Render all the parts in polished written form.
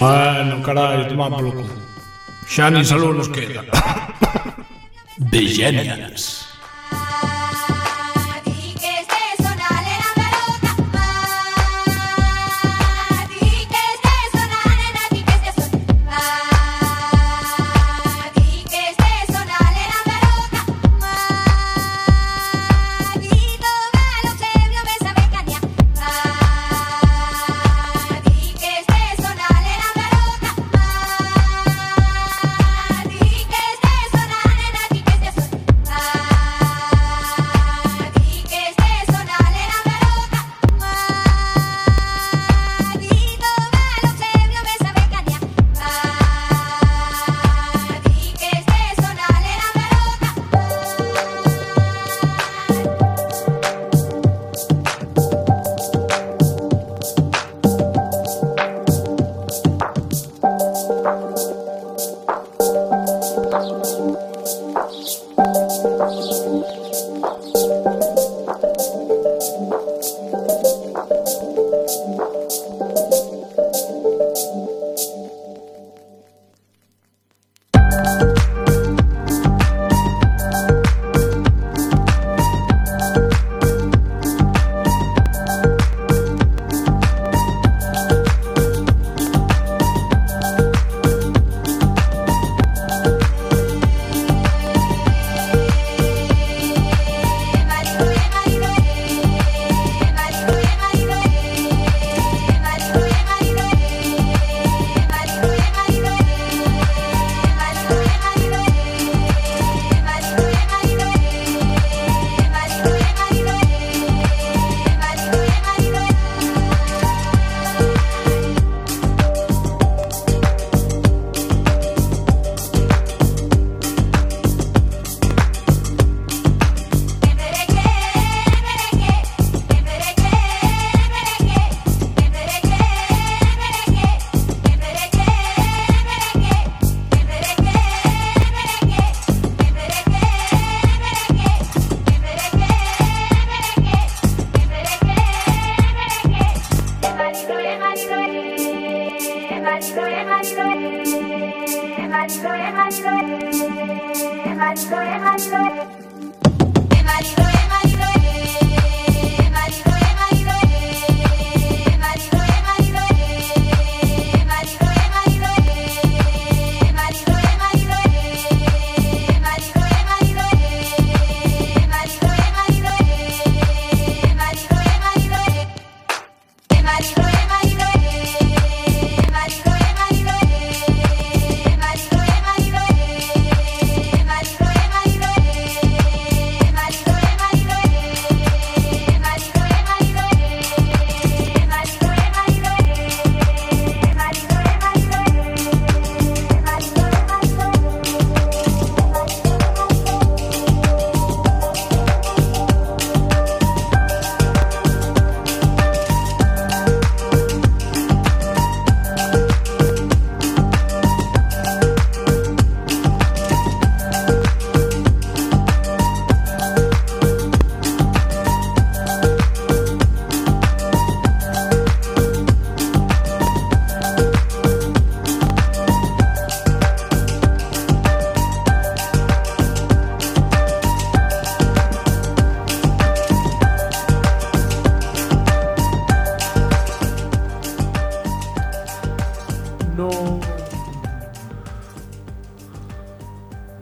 Bueno, carallo, toma polo cu. Xa nin salud nos queda. Bellenians.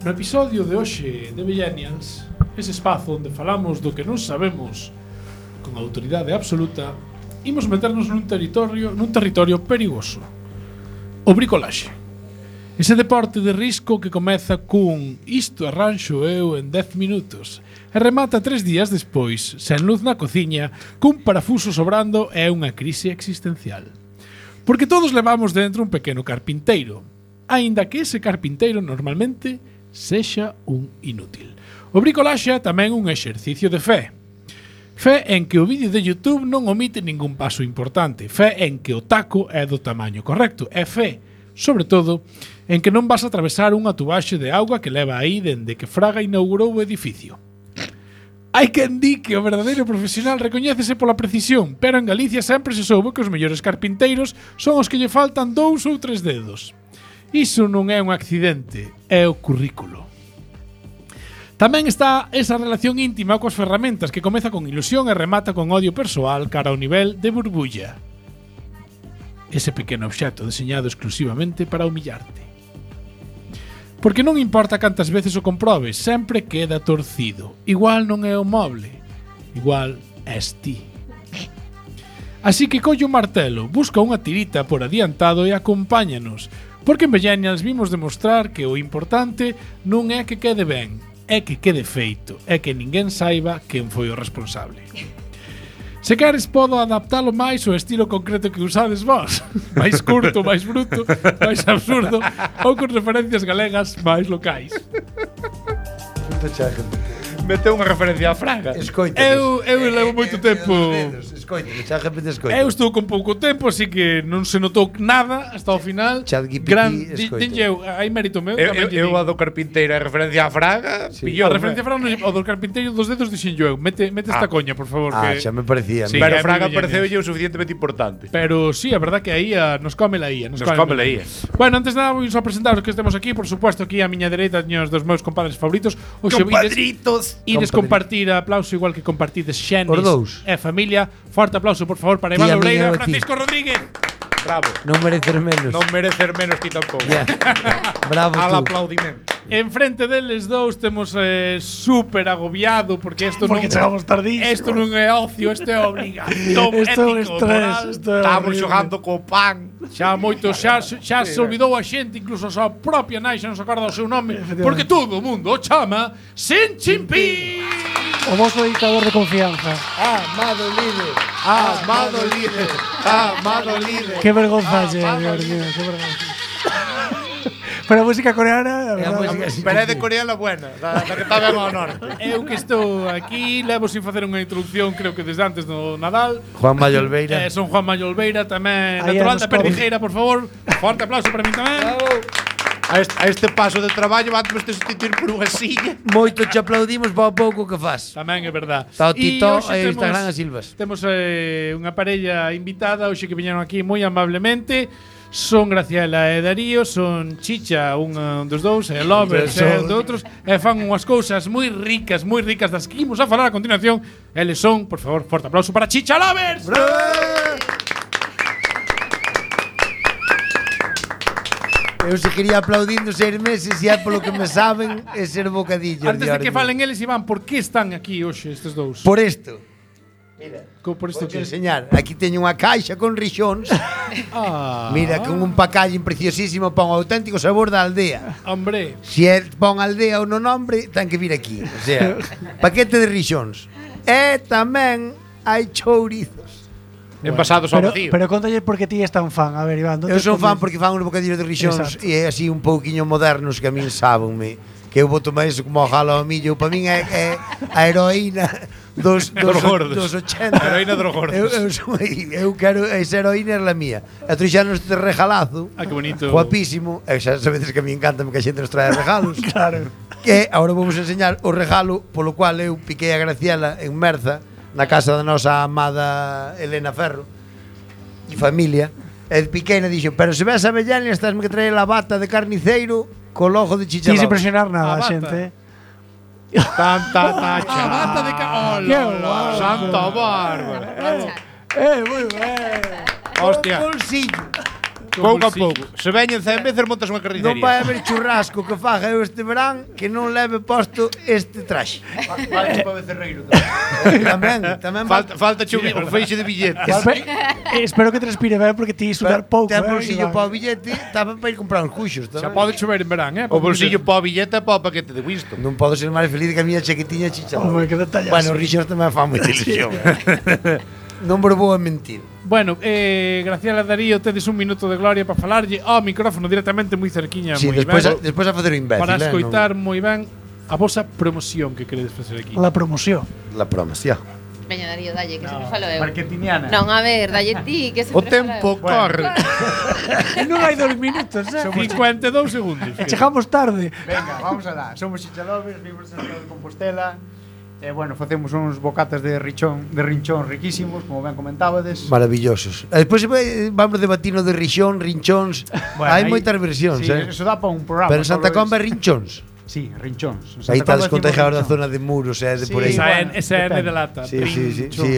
No episodio de hoxe de Bellenians, ese espazo onde falamos do que non sabemos con autoridade absoluta, imos meternos nun territorio perigoso. O bricolaxe. Ese deporte de risco que comeza cun "isto arranxo eu en 10 minutos" e remata 3 días despois, sen luz na cociña, cun parafuso sobrando e unha crise existencial. Porque todos levamos dentro un pequeno carpinteiro, aínda que ese carpinteiro normalmente sexa un inútil. O bricolaxe é tamén un exercicio de fe. Fe en que o vídeo de YouTube non omite ningún paso importante. Fe en que o taco é do tamaño correcto. E fe, sobre todo, en que non vas a atravesar unha tubaxe de auga que leva aí dende que Fraga inaugurou o edificio. Hai quen di que o verdadeiro profesional recoñécese pola precisión, pero en Galicia sempre se soubo que os mellores carpinteiros son os que lle faltan 2 ou 3 dedos. Iso non é un accidente, é o currículo. Tamén está esa relación íntima coas ferramentas que comeza con ilusión e remata con odio persoal cara ao nivel de burbulla. Ese pequeno obxecto deseñado exclusivamente para humillarte. Porque non importa cantas veces o comprobes, sempre queda torcido. Igual non é o moble, igual és ti. Así que colle un martelo, busca unha tirita por adiantado e acompáñanos, porque en Millennials vimos demostrar que o importante non é que quede ben, é que quede feito, é que ninguén saiba quen foi o responsable. Se queres podo adaptalo máis ao estilo concreto que usades vós. Mais curto, máis bruto, máis absurdo ou con referencias galegas máis locais. Meteu unha referencia a Fraga. Eu levo moito tempo. Eu estou con pouco tempo, así que non se notou nada hasta o final. Dinlle, hai mérito meu. Eu a do carpinteiro a referencia a Fraga. A referencia a Fraga, o do carpinteiro dos dedos dixenllo eu. Mete esta coña, por favor. Xa me parecía. Pero Fraga pareceulle o suficientemente importante. Pero sí, a verdad que aí nos come la ía. Nos come la ía. Bueno, antes de nada vou só presentaros que estemos aquí. Por supuesto, aquí a miña dereita teños dos meus compadres favoritos. Compadritos. Ides compartir aplauso igual que compartides Xenis e familia. Forte aplauso, por favor, para Iván Loureira e Francisco Rodríguez. Bravo. Non merecer menos. Non merecer menos que tampouco. Bravo tú. Al aplaudimento. Enfrente deles dous temos súper agobiado porque isto porque chegamos tardísimo. Isto non é ocio, isto é obligación ético, moral. Estamos xogando co pan. Xa moito xa se olvidou a xente, incluso a súa propia nai xa non se acorda o seu nome, porque todo o mundo o chama Sin Chimpín. O vosso dictador de confianza. Amado líder. Amado líder. Amado líder. Qué vergonza, Dios mío, qué vergonza. Pero a música coreana, pero é de coreana buena, da que está ben ao norte. Eu que estou aquí, levo sin facer unha introducción, creo que desde antes do Nadal. Juan Mayo Olveira. Son Juan Mayo Olveira, tamén natural da Perdijeira, por favor. Forte aplauso para min tamén. Bravo. A este paso de traballo vamos te sustituir por unha silla. Moito te aplaudimos para o pouco que faz. Tamén é verdad. Está o Tito e Instagram a Silvas. Temos unha parella invitada hoxe que viñeron aquí moi amablemente. Son Graciela e Darío, son Chicha, un dos dous, e Lovers e de outros, e fan unhas cousas moi ricas das que imos a falar a continuación. Eles son, por favor, forte aplauso para Chicha Lovers. Eu se quería aplaudindo 6 meses e é polo que me saben é ser bocadillo. Antes de que falen eles, Iván, por que están aquí hoxe estes dous? Por isto. Mira, por isto que enseñar. Aquí teño unha caixa con rixóns. Mira, con un pacallín preciosísimo para un auténtico sabor da aldea. Hombre. Se é para unha aldea ou no nombre, ten que vir aquí. O sea, paquete de rixóns. E tamén hai chourizos. Envasados ao vacío. Pero contalle por que ti és tan fan. A ver, Iván, eu son fan porque fan uns bocadillos de rixóns e é así un pouquiño modernos que a min sábenme. Que eu boto máis como ao jalo ao millo. Para min é a heroína dos 80. Heroína dos gordos. Eu quero esa heroína é a mía. E trouxanos este regalazo. Que bonito. Guapísimo. E xa sabedes que a mí encanta que a xente nos trae regalos. Claro. Que agora vamos a enseñar o regalo polo cual eu piquei a Graciela en Merza, na casa da nosa amada Elena Ferro e familia. E piquei e dixo, pero se ves a Bellania, estásme que traer a bata de carniceiro co logo de Chicha Lovers. Sin impresionar nada, xente. Tanta tacha. A bata de Hola, Santa Bárbara. Moi ben. Hostia. Bolsillo. Pouco a pouco. Se veñen 100 veces montas unha carnicería. Non vai haber churrasco que faga eu este verán que non leve posto este traxe. Falta para becerreiro tamén falta un feixe de billetes. Espero que transpire ben porque ti sudar pouco. Ten bolsillo para o billete, tapa para ir comprar uns cuxos. Xa pode chover en verán, O bolsillo para o billete e para o paquete de Winston. Non podo ser máis feliz que a miña chaquetiña Chicha. Home, que detallazo. Bueno, os rixos tamén fan moita ilusión. Non me vou a mentir. Bueno, Graciela Darío, tedes un minuto de gloria para falarlle ao micrófono directamente moi cerquiña, moi ben. Despois a facer o imbécil. Para escoitar moi ben a vosa promoción que queredes facer aquí. La promoción. La promoción. Veña, Darío, dalle, que se me falo eu. Marketingiana. Non, a ver, dalle ti, que se O tempo corre. Non hai 2 minutos, 52 segundos. Chegamos tarde. Venga, vamos alá. Somos Chicha Lovers, vimos en Santiago de Compostela Bueno, facemos uns bocatas de rinchón riquísimos, como ben comentábades. Maravillosos. E despois vamos debatir no de rixón, rinchóns. Bueno, Hai aí- moitas versións, Sí, eso dá para un programa. Pero en Santa solo Comba é es- rinchóns. Sí, rinchóns. En Aí Santa estás Comba decimos contagiados da rinchón. zona de Muros e de Sí, por aí. Esa bueno, N de depende. lata. Sí,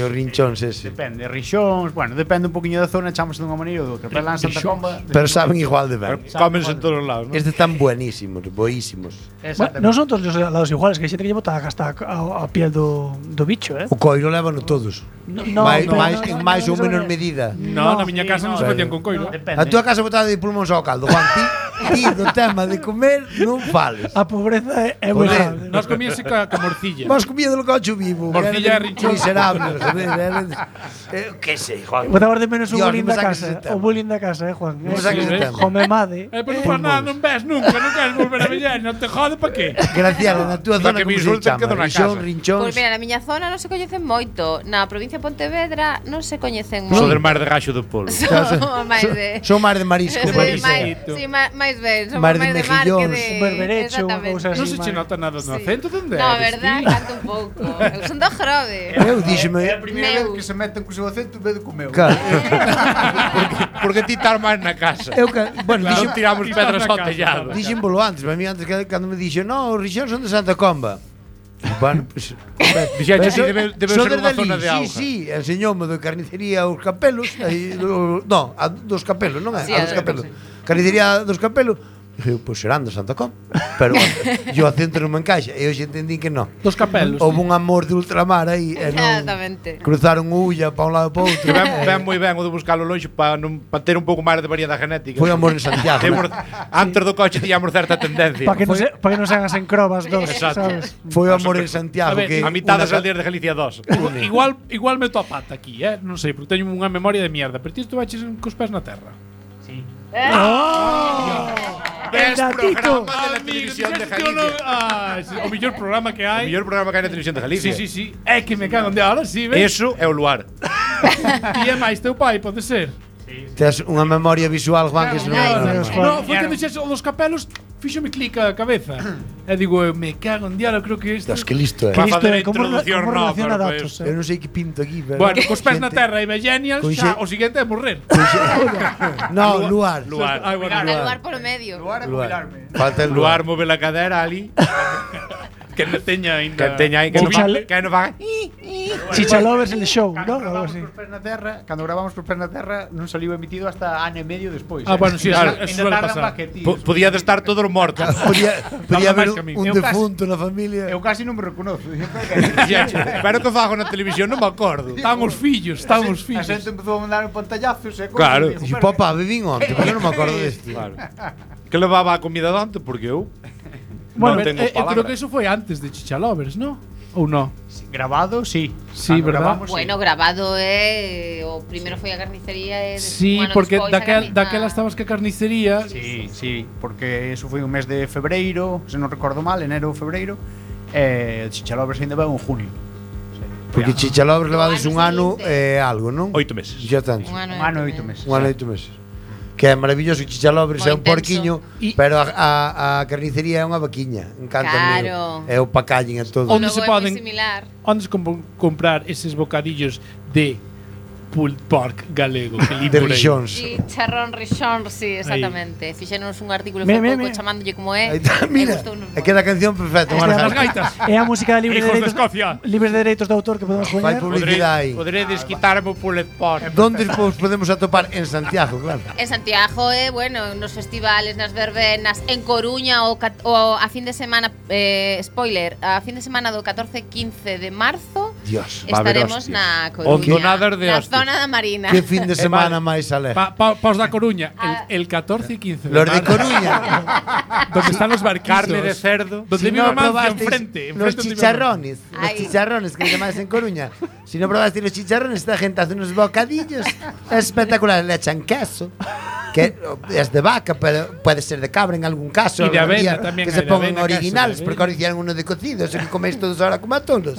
os rinchóns ese. Depende, rixóns, bueno, depende un poquinho da zona, chamase dunha maneira ou doutra. Pero lá en Santa Rixóns. Comba... Pero saben igual de ben. Cómense en todos os lados, ¿no? Estes están buenísimos, boísimos. Exactamente. Exactamente. No No son son todos os lados iguales, que hai xente que lle bota hasta a piel do bicho, O coiro lévano todos. En máis ou menos medida. No, na miña casa non se facían con coiro. A túa casa botada de pulmóns ao caldo, Juan. Ti do tema de comer non fales. A pobreza é moi Joder. grande. Nós comíase ca morcilla. Vos comía do cocho vivo. Morcilla e rinchón. Miserables, joder. Que sei, Juan. Botamos de menos o Dios, bullying non me da saques casa. ese tema. O bullying da casa, Juan. Non me saques ese tema. Jomemade. Pero non faz nada, non ves nunca, non queres volver a vellar, non te jode pa qué? Graciela, na túa zona que me como se insulten, chama? quedo na Rixón, casa. rinchóns. Pois mira, na miña zona non se coñecen moito. Na provincia de Pontevedra non se coñecen Só moito. del mar de gaxo do polo. Son máis de... Son mar de marisco. Sí, marisco. sí, máis ben, son Mar de máis de mar que mejillóns. de... Un berberecho, unha Exactamente. cousa Non así. se che nota nada no acento, onde No, eres, verdad, ti? canto un pouco. Eu son do Grove. Eu díxeme. É a primeira Meu. vez que se meten co seu acento en vez de co meu. Claro. Porque ti estás máis na casa. Bueno, Non dixen, tiramos Ti pedras estás na ao casa, tellado. dixen bolo antes, para mí antes que cando me dixo, "No, os rixóns son de Santa Comba." Bueno, pues, Dixeche, pero sí, debe son ser desde unha ali, zona de auga. Sí, enseñoume de carnicería os capelos, aí, no, dos capelos, non é? Sí, A dos a capelos. Carnicería dos capelos. Dije, pois serán de Santa Comba. Pero yo acento non me encaixa, e hoxe entendí que non. Dos capelos. Houve un amor de ultramar aí, e non Exactamente. cruzaron ulla para un lado e para outro. Que ben moi ben o de buscalo longe para ter un pouco máis de variedade genética. Foi amor en Santiago. Temos, antes do coche tiñamos certa tendencia. Para que non se hagan sen crobas dos, Exacto. sabes? Foi amor en Santiago. A ver, que A mitad unha das aldeas de Galicia 2. Igual meto a pata aquí, non sei, porque teño unha memoria de mierda, pero ti estuvaches cos pés na terra. Ves datito. programa de la televisión de Galicia. O mellor programa que O hai. mellor programa que hai na televisión de Galicia. Sí. É que me cago en Dios, ahora sí, ves? Eso é o luar. E é máis teu pai, pode ser. Tes unha memoria visual, Juan, que eso non Ai, é Dios, normal. No, foi que dixes o dos capelos, fíxome clica a cabeza. E digo, me cago en Dios, creo que isto. Dios, que listo é. Que Va a listo facer é, como introducción nova, relaciona pero datos. Eu non sei que pinto aquí, pero Bueno, cos pés na xente- terra e Millennials, Con xa, xe- o siguiente é morrer. No, luar. Luar. Ai, bueno, Al lugar polo medio. Luar. Falta el Luar luar. move la cadera ali. que non teña Que ainda. teña aí que non Chichale- que non faga. Chichalovers el show, Cando ¿no? Algo gravamos así. por pés na terra, cando gravamos por pés na terra, non saliu emitido hasta ano e medio despois. Ah, bueno, sí, Claro. eso suele Ainda tardan pasar. pa que, tío. Podía de estar todos mortos. Podía haber máis que a mí. un Eu casi- defunto na familia. Eu casi non me reconozo. Pero que fago na televisión non me acordo. Están os fillos, están os A fillos. xente empezou a mandar un pantallazos e Claro. Dixo, papá, bebín onte, porque non me acordo deste. Claro. Que levaba a comida dante porque eu Bueno, non tengo eu creo palabra. que eso foi antes de Chichalovers, ¿no? Ou no? Grabado, sí. Sí, Cando verdad? gravamos, sí. Bueno, grabado o primeiro foi a carnicería e Sí, bueno, porque despois a daquela estabas que a carnicería. Sí, porque eso foi un mes de febreiro, se non recordo mal, enero ou febreiro, e Chichalovers ainda vai en junio. Porque Chichalobres levades un ano seguinte. algo, non? 8 meses. Ya tanto. Un ano e 8 meses. Un ano e 8 meses. Que é maravilloso, Chichalobres Moi é un intenso. porquiño, E- pero a carnicería é unha vaquiña. Encanta Claro. É o pacallen e todo. Onde Logo se é poden- moi similar. Onde se comprar eses bocadillos de pulled pork galego que li De por aí? rixóns. Chicharrón rixón, sí, exactamente. Fixéronos un artículo Mira, foi mira, pouco mira. chamándolle como é. Aí está, mira, gustounos é que da canción perfecta. Esta é As a- gaitas. É a música libre de Hijos de dereitos, Escocia. libres de dereitos de autor que podemos Fai poñer. publicidade aí. Podré desquitarme o pulet pot. Donde os podemos atopar? En Santiago, claro. En Santiago, bueno, nos festivales, nas verbenas, en Coruña o a fin de semana, spoiler, a fin de semana do 14 e 15 de marzo Dios. Va a haber estaremos hostias. na Coruña, Hondonadas de na hostias. zona da Marina. Que fin de semana máis alegre. Paos da Coruña, Ah. el 14 y 15 de Los de marzo, Coruña. donde están los barquitos. Carne de cerdo. Donde Si vive no Mancio probasteis enfrente. los enfrente de chicharrones, los Ay. chicharrones que llamáis en Coruña. Si no probaste los chicharrones, esta gente hace unos bocadillos espectaculares. Le echan queso, que es de vaca, pero puede ser de cabra en algún caso. Y de algún avena día, también que hay se de pongan avena, queso, originales, de porque avena. ahora hicieron uno de cocido, eso que coméis todos ahora como a todos.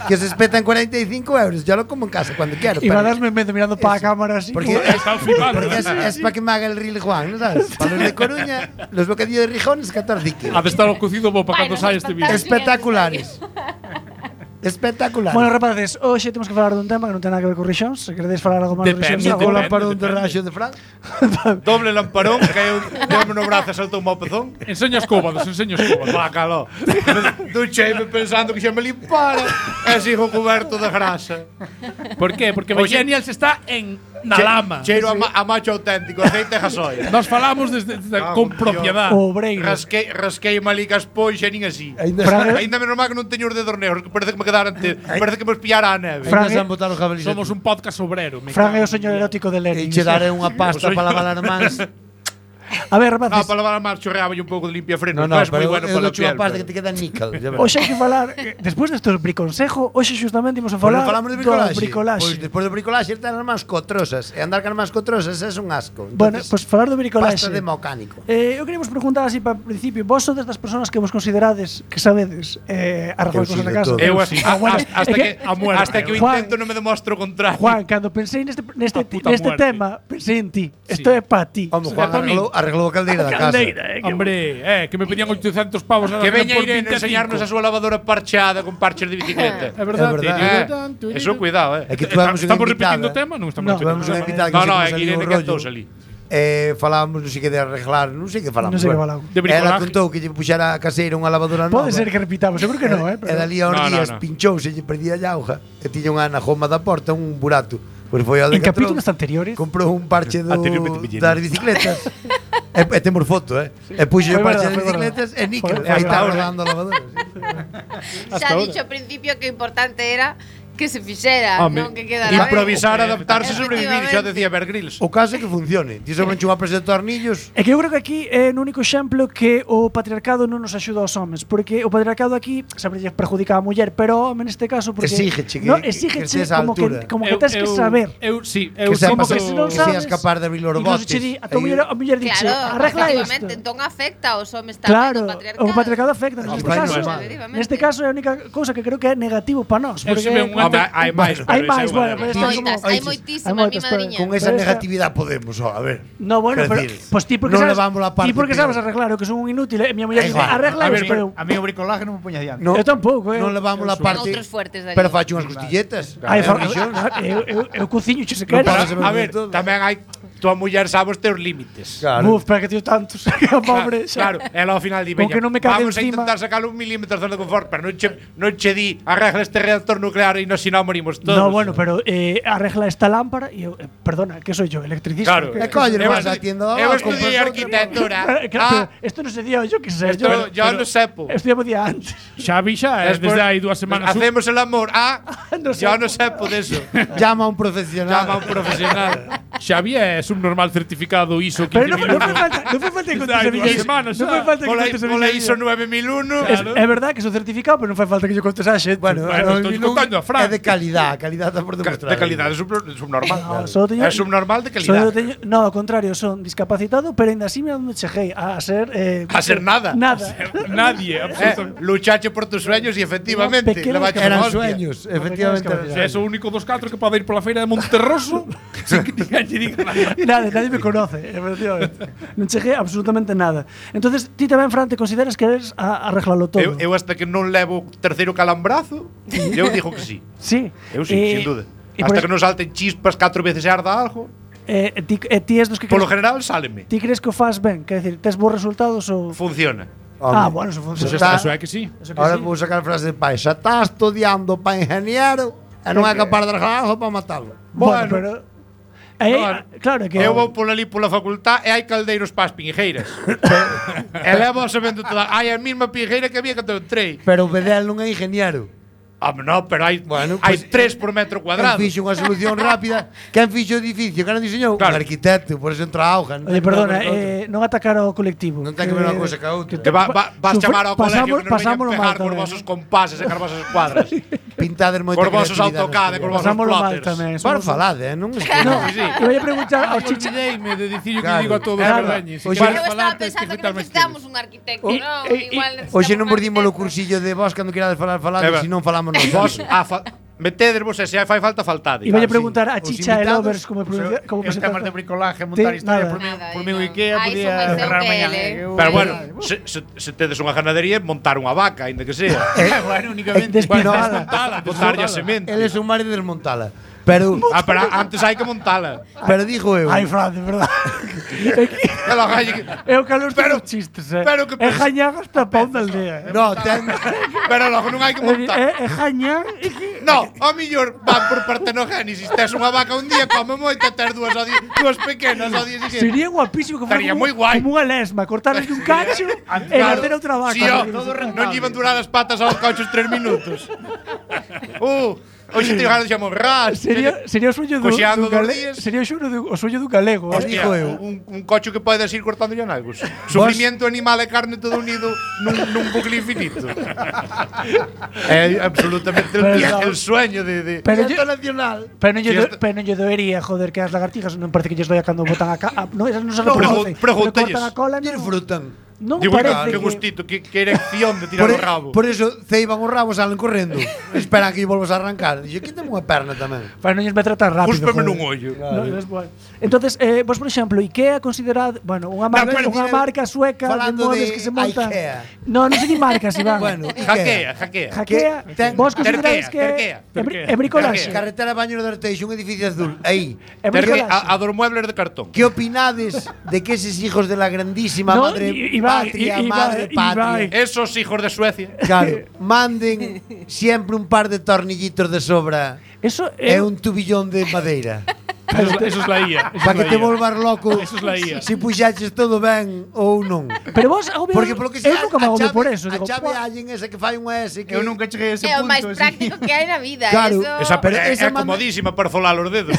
Que se espetan 45 euros. Yo lo como en casa cuando quiero. Y va a pero- darme medio mirando para la cámara así. Porque, como- Están flipando. porque es para que me haga el reel Juan, ¿no sabes? Para los de Coruña, los bocadillos de Rijones, 14 kilos. Ha de estar o cocido bo para Vai, cando nos sai este vídeo. espantar. Espectaculares. Espectacular. Bueno, rapaces, hoxe temos que falar dun tema que non ten nada que ver con Rixóns. Se queredes falar algo máis de Rixóns, Depende, Con agora. la parón de raxo de Fran. Doble lamparón, caeu no brazo e saltou un pezón. Enseña os cómodos, enseña os cómodos. Bácalo. Ducheime pensando que xa me limpara. E sigo coberto de grasa. Por qué? Porque Bellenials está na lama. Cheiro a macho auténtico, aceite e gasoil. Nos falamos con propiedad. O obreiro. Rasquei malicas pois e nin así. Fran- Ainda menos mal que non teño os dedos negros, que parece que me quedaran parece que me espiara a neve. Fran- Ainda se han botado os jabalíes. Somos un podcast obrero. me Fran é cago o señor erótico de E Lenin. che daré unha pasta para lavar as mans. A ver, Ah, rapaces, para lavar a mar chorreaba un pouco de limpia freno. No, Es moi pero bueno eu para a doche unha piel. pasta que te queda níquel. ya verás. hoxe hai que falar, despois destes briconsejo, hoxe xustamente imos a falar Bueno, falamos de do bricolaxe. bricolaxe. Pois despois do bricolaxe están as mans cotrosas. E andar con as mans cotrosas é un asco. Bueno, Entonces, pois falar do bricolaxe. pasta de mecánico. Eu quería vos preguntar así para o principio, vos sodes das persoas que vos considerades que sabedes arreglar Eu sí, cosas na de casa? todo. Eu Bueno, hasta é que a muerte. hasta que o Juan- intento non me demostro o contrario. Juan, cando pensei neste A puta muerte. tema, pensei en ti. Isto é para ti. Home, Juan para min. arreglou a caldeira da casa. Hombre, que me pedían 800 pavos nada Que más veña por Irene a 25. enseñarnos a súa lavadora parcheada con parches de bicicleta. É verdade. É verdade. Eso cuidado, É que tuvemos unha Estamos repetindo o invitada. tema? Non No, estamos repetindo Tuvemos o unha tema. invitada que No, no, se é nos que saliu Irene un cantou rollo. salí. Falábamos, non sei que de arreglar, non sei que falamos. Non sei que bueno. falamos. De bricolaje. Ela contou que lle puxara a caseira unha lavadora nova. Pode ser que repitamos, seguro que non, E dali a uns No, no, días no. pinchouse e lle perdía a auga e tiña unha na joma da porta un burato. Pois foi ao En Decathlon, capítulos anteriores. comprou un parche Anteriormente pillín. das bicicletas. E temos foto, E puxo Foi o parche verdad, das foi verdad. bicicletas e níquel. Foi Aí está verdad. rodando a lavadora. Xa dicho ao principio que o importante era que se fixera, Home, non que quedara Improvisar, ben. adaptarse, sobrevivir, xa Efectivamente. decía Bear Grylls. O caso é que funcione. Ti sobranche unha presa de tornillos. É que eu creo que aquí é o único exemplo que o patriarcado non nos axuda aos homes, porque o patriarcado aquí sempre lle perjudica á muller, pero o home neste caso porque Exígeche que- no, que exígeche estés á como altura. que tes que saber. Sí, Que como sepas que se non que seas sabes, capaz de abrir os incluso botes. che di, a muller dixe, Claro, arregla efectivamente, isto. entón afecta aos homes tamén Claro, o o patriarcado afecta. Ah, Neste vai, caso, normal. neste caso é a única cousa que creo que é negativo para nós, Eu porque se ve unha- Home, hai máis, hai pero máis, esa é bueno, unha pero delas. esta é como Moitas, hai moitísimas, mi moitas, pero madriña. Con esa Pero esta- negatividad podemos, a ver. No, bueno, Quer pero decir, pues ti porque non sabes, levamos la parte ti porque peor. sabes arreglar, o que son un inútil, e mi muller dice, igual. arregla A ver, isto. pero a mí o bricolaje non me poña diante. No, Eu tampouco, non levamos a Ten parte. outros fuertes dali. Pero facho unhas costilletas. Ai, Rixóns. eu cociño, che se Non queres. paras A ver, tamén hai tua muller sabe os teus límites. Claro. Uf, para que tío tantos, que o pobre. xa. Claro, ela ao final di, Con veña, que non me cague vamos a encima. intentar sacar un milímetro de zona de confort, pero non che di, arregla este reactor nuclear e si non morimos todos. No, bueno, pero arregla esta lámpara y perdona, que soy yo, electricista. Claro. que- coño, Eu vas estu- á tienda, Eu compras estudiei outra. arquitectura. Claro, pero esto no se dio, yo qué sé. Esto yo no sepo. Estudiamos día antes. Xavi xa, Despois- desde hai 2 semanas. Hacemos el amor. No Yo sepo. no sepo de eso. Llama a un profesional. Llama a un profesional. Xavi é subnormal certificado ISO Pero no 15001. fue falta, no fue falta que contes Hai a 2 miña. semanas No fue xa. falta que Pola contes a pola miña. ISO 9001. É verdad que son certificado, pero non fai falta que yo contes a xente. Bueno, Bueno, o estou menú contando a Fran. é de calidad. Calidad está por demostrar. De calidad, es subnormal. No, solo teño- Es subnormal de Solo calidad. no, ao contrario, son discapacitado, pero ainda así me cheguei a ser A ser nada. Nada. Nadie, absolutamente. Luchache por tus sueños y efectivamente Pequeño le baches Eran una hostia. sueños, efectivamente. eran Se sueños. és o único dos 4 que pode ir pola feira de Monterroso sin que ninguén lle diga nada. Nadie me conoce, efectivamente. Non cheguei absolutamente nada. Entonces, ti tamén, Fran, te consideras que eres a arreglalo todo? Eu hasta que non levo terceiro calambrazo, eu digo que sí. Sí. Eu sí, sin duda. e Hasta por que non salten chispas 4 veces e arda algo, ti és dos que polo crees, general sáleme. ti crees que o faz ben? Quer decir, tes bons resultados ou... Funciona. Ah, Home, bueno, eso Pues funciona. está- Eso é que sí. Eso que Ahora sí. vou sacar a frase de pai. Xa está estudiando para ingeniero e non é capaz de arreglar algo para matalo. Bueno, pero... Aí, No, claro que... Eu vou pola ali pola facultad e hai caldeiros para as pingueiras. e levo sabendo toda. Hai a mesma pingueira que había cando entrei. Pero o Bedel non é ingeniero. No, pero hai, Bueno, hai pues, 3 por metro Quen cuadrado. fixo unha solución rápida? Quen fixo o edificio? Quen o diseñou? Claro. Un arquitecto, por eso entra a auga. Oye, perdona, non atacar ao colectivo. Non ten que ver unha cousa ca outra. Que vas chamar ao colegio que non pasámoslo veñan pegar mal cos tamén. vosos compases e cos vosos escuadras. Pintades moita Cos vosos creatividade AutoCAD e nos cos vosos Pasámoslo mal plotters. tamén. Para somos- falade, non? No, eu ia preguntar aos Ai, chicha... olvideime de dicir o que Claro. digo a todos Claro. os verdañes. Oxe, Eu estaba pensando que necesitamos un arquitecto, non? Igual Hoxe non necesitamos mordimos o un arquitecto. cursillo de vos cando querades falar, É ver. se non falamos nós. Vos, Metedervos e se fai falta faltade. Iba a Claro, preguntar a sí. Os Chicha e invitados, Lovers como Os temas de bricolaje, montar Sí, historia, nada. por mí o Ikea Ai, podía son máis eu cerrar que mañá. ele. Pero bueno, se tedes unha ganadería, montar unha vaca, ainda que sea. Bueno, únicamente. Despintada. Botarlle a semente. Él es un mar de desmontala. Pero Pero antes hai que montala. digo eu. Ai, Fran, de verdad. Ela galle que- É o calor Pero- dos chistes, pero que É pens- jañán hasta pau da aldea. No, ten Pero logo non hai que montar. É jañán e que... No, ao millor van por partenogénesis. Tes unha vaca un día, come moito, tes dúas pequenas ao día seguinte. Sería guapísimo que fuera Estaría como, moi guai. como unha lesma, cortarle un cacho e nacer outra vaca. Sí, non lle iban durar as patas aos cauchos 3 minutos. Hoxe te ganas de chamar ras. Sería o sueño do Coxeando dos galego. días. Sería o sueño do galego. Hostia, digo eu. un cocho que podes ir cortando ya nalgos. Sufrimiento animal e carne todo unido nun bucle infinito. É absolutamente el sueño de Pero Fiesta yo, nacional. pero Si esto- non lle doería, joder, que as lagartijas non parece que lles doia cando botan a no, esas non se No, reproducen. pregúntalles. Cortan a cola, Disfrutan. non Digo, parece que gustito, que erección de tirar o rabo. Por eso ceiban o rabo, salen correndo. Esperan que lle volvas a arrancar. Dixo, quítame unha perna tamén. Para non lles me tratar rápido. Júspeme joder. nun ollo. No, es bueno. Entonces, vos, por exemplo, IKEA considerado, bueno, unha marca, pero unha marca sueca de falando mobles de que se montan. IKEA. No, non sei ni marcas, Iván. Bueno, Jaquea. Hackea. ten- Vos consideráis Terquea, que é bricolaxe. Carretera Baño do Arteixo, un edificio azul. Aí. É Terque bricolaxe. a dos muebles de cartón. ¿Qué opinades de que esos hijos de la grandísima No, madre Iván, patria, Iván, madre patria, Esos hijos de Suecia. claro, manden siempre un par de tornillitos de sobra Eso e é un tubillón de madeira? Eso es la IA. eso Para es que la te IA. volvas loco Eso es la IA. si puxaches todo ben ou non. Pero vos agobio, Porque polo que eu nunca me agobio por eso. a Digo, chave "Buah". allen esa que fai unha S que Eu nunca cheguei a ese É o punto. máis así. práctico que hai na vida. Claro, Eso... Esa Pero esa é manda- comodísima para folar os dedos.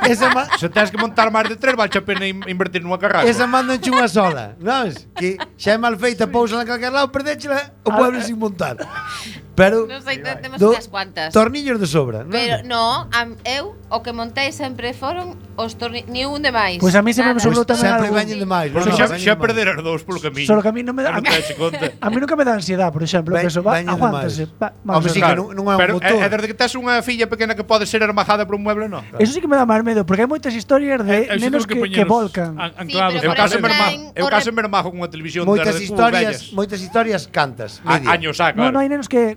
esa Se tens que montar máis de 3, vale a pena invertir nunha carrasca. esa mandan unha sola, non? Que xa é mal feita, pousala en calquer lado, perdéchela o mueble sin montar. Pero Non sei, temos do- unhas cuantas. tornillos de sobra, non? Pero no, eu o que montei sempre foron os ni un de máis. Pois a mí sempre me Nada. sobrou tamén sempre algo. veñen de máis. Porque non, xa, veñen xa de máis. perder as dous polo camiño. Solo que a mí non me dá. Non te das conta. A mí nunca me dá ansiedade, por exemplo, que eso va, Veñen de aguántase. máis. Vamos Home, a sí, ver. que non é un Pero motor. desde que tes unha filla pequena que pode ser armajada por un mueble, non. Eso sí que me dá máis medo, porque hai moitas historias de Eu nenos tengo que volcan. Anclados. Sí, Eu pero case por me exemplo, ermajo, eu o case rep- me ermajo con unha televisión Moitas de historias cantas. media. Años xa, No, claro. no hai nenos que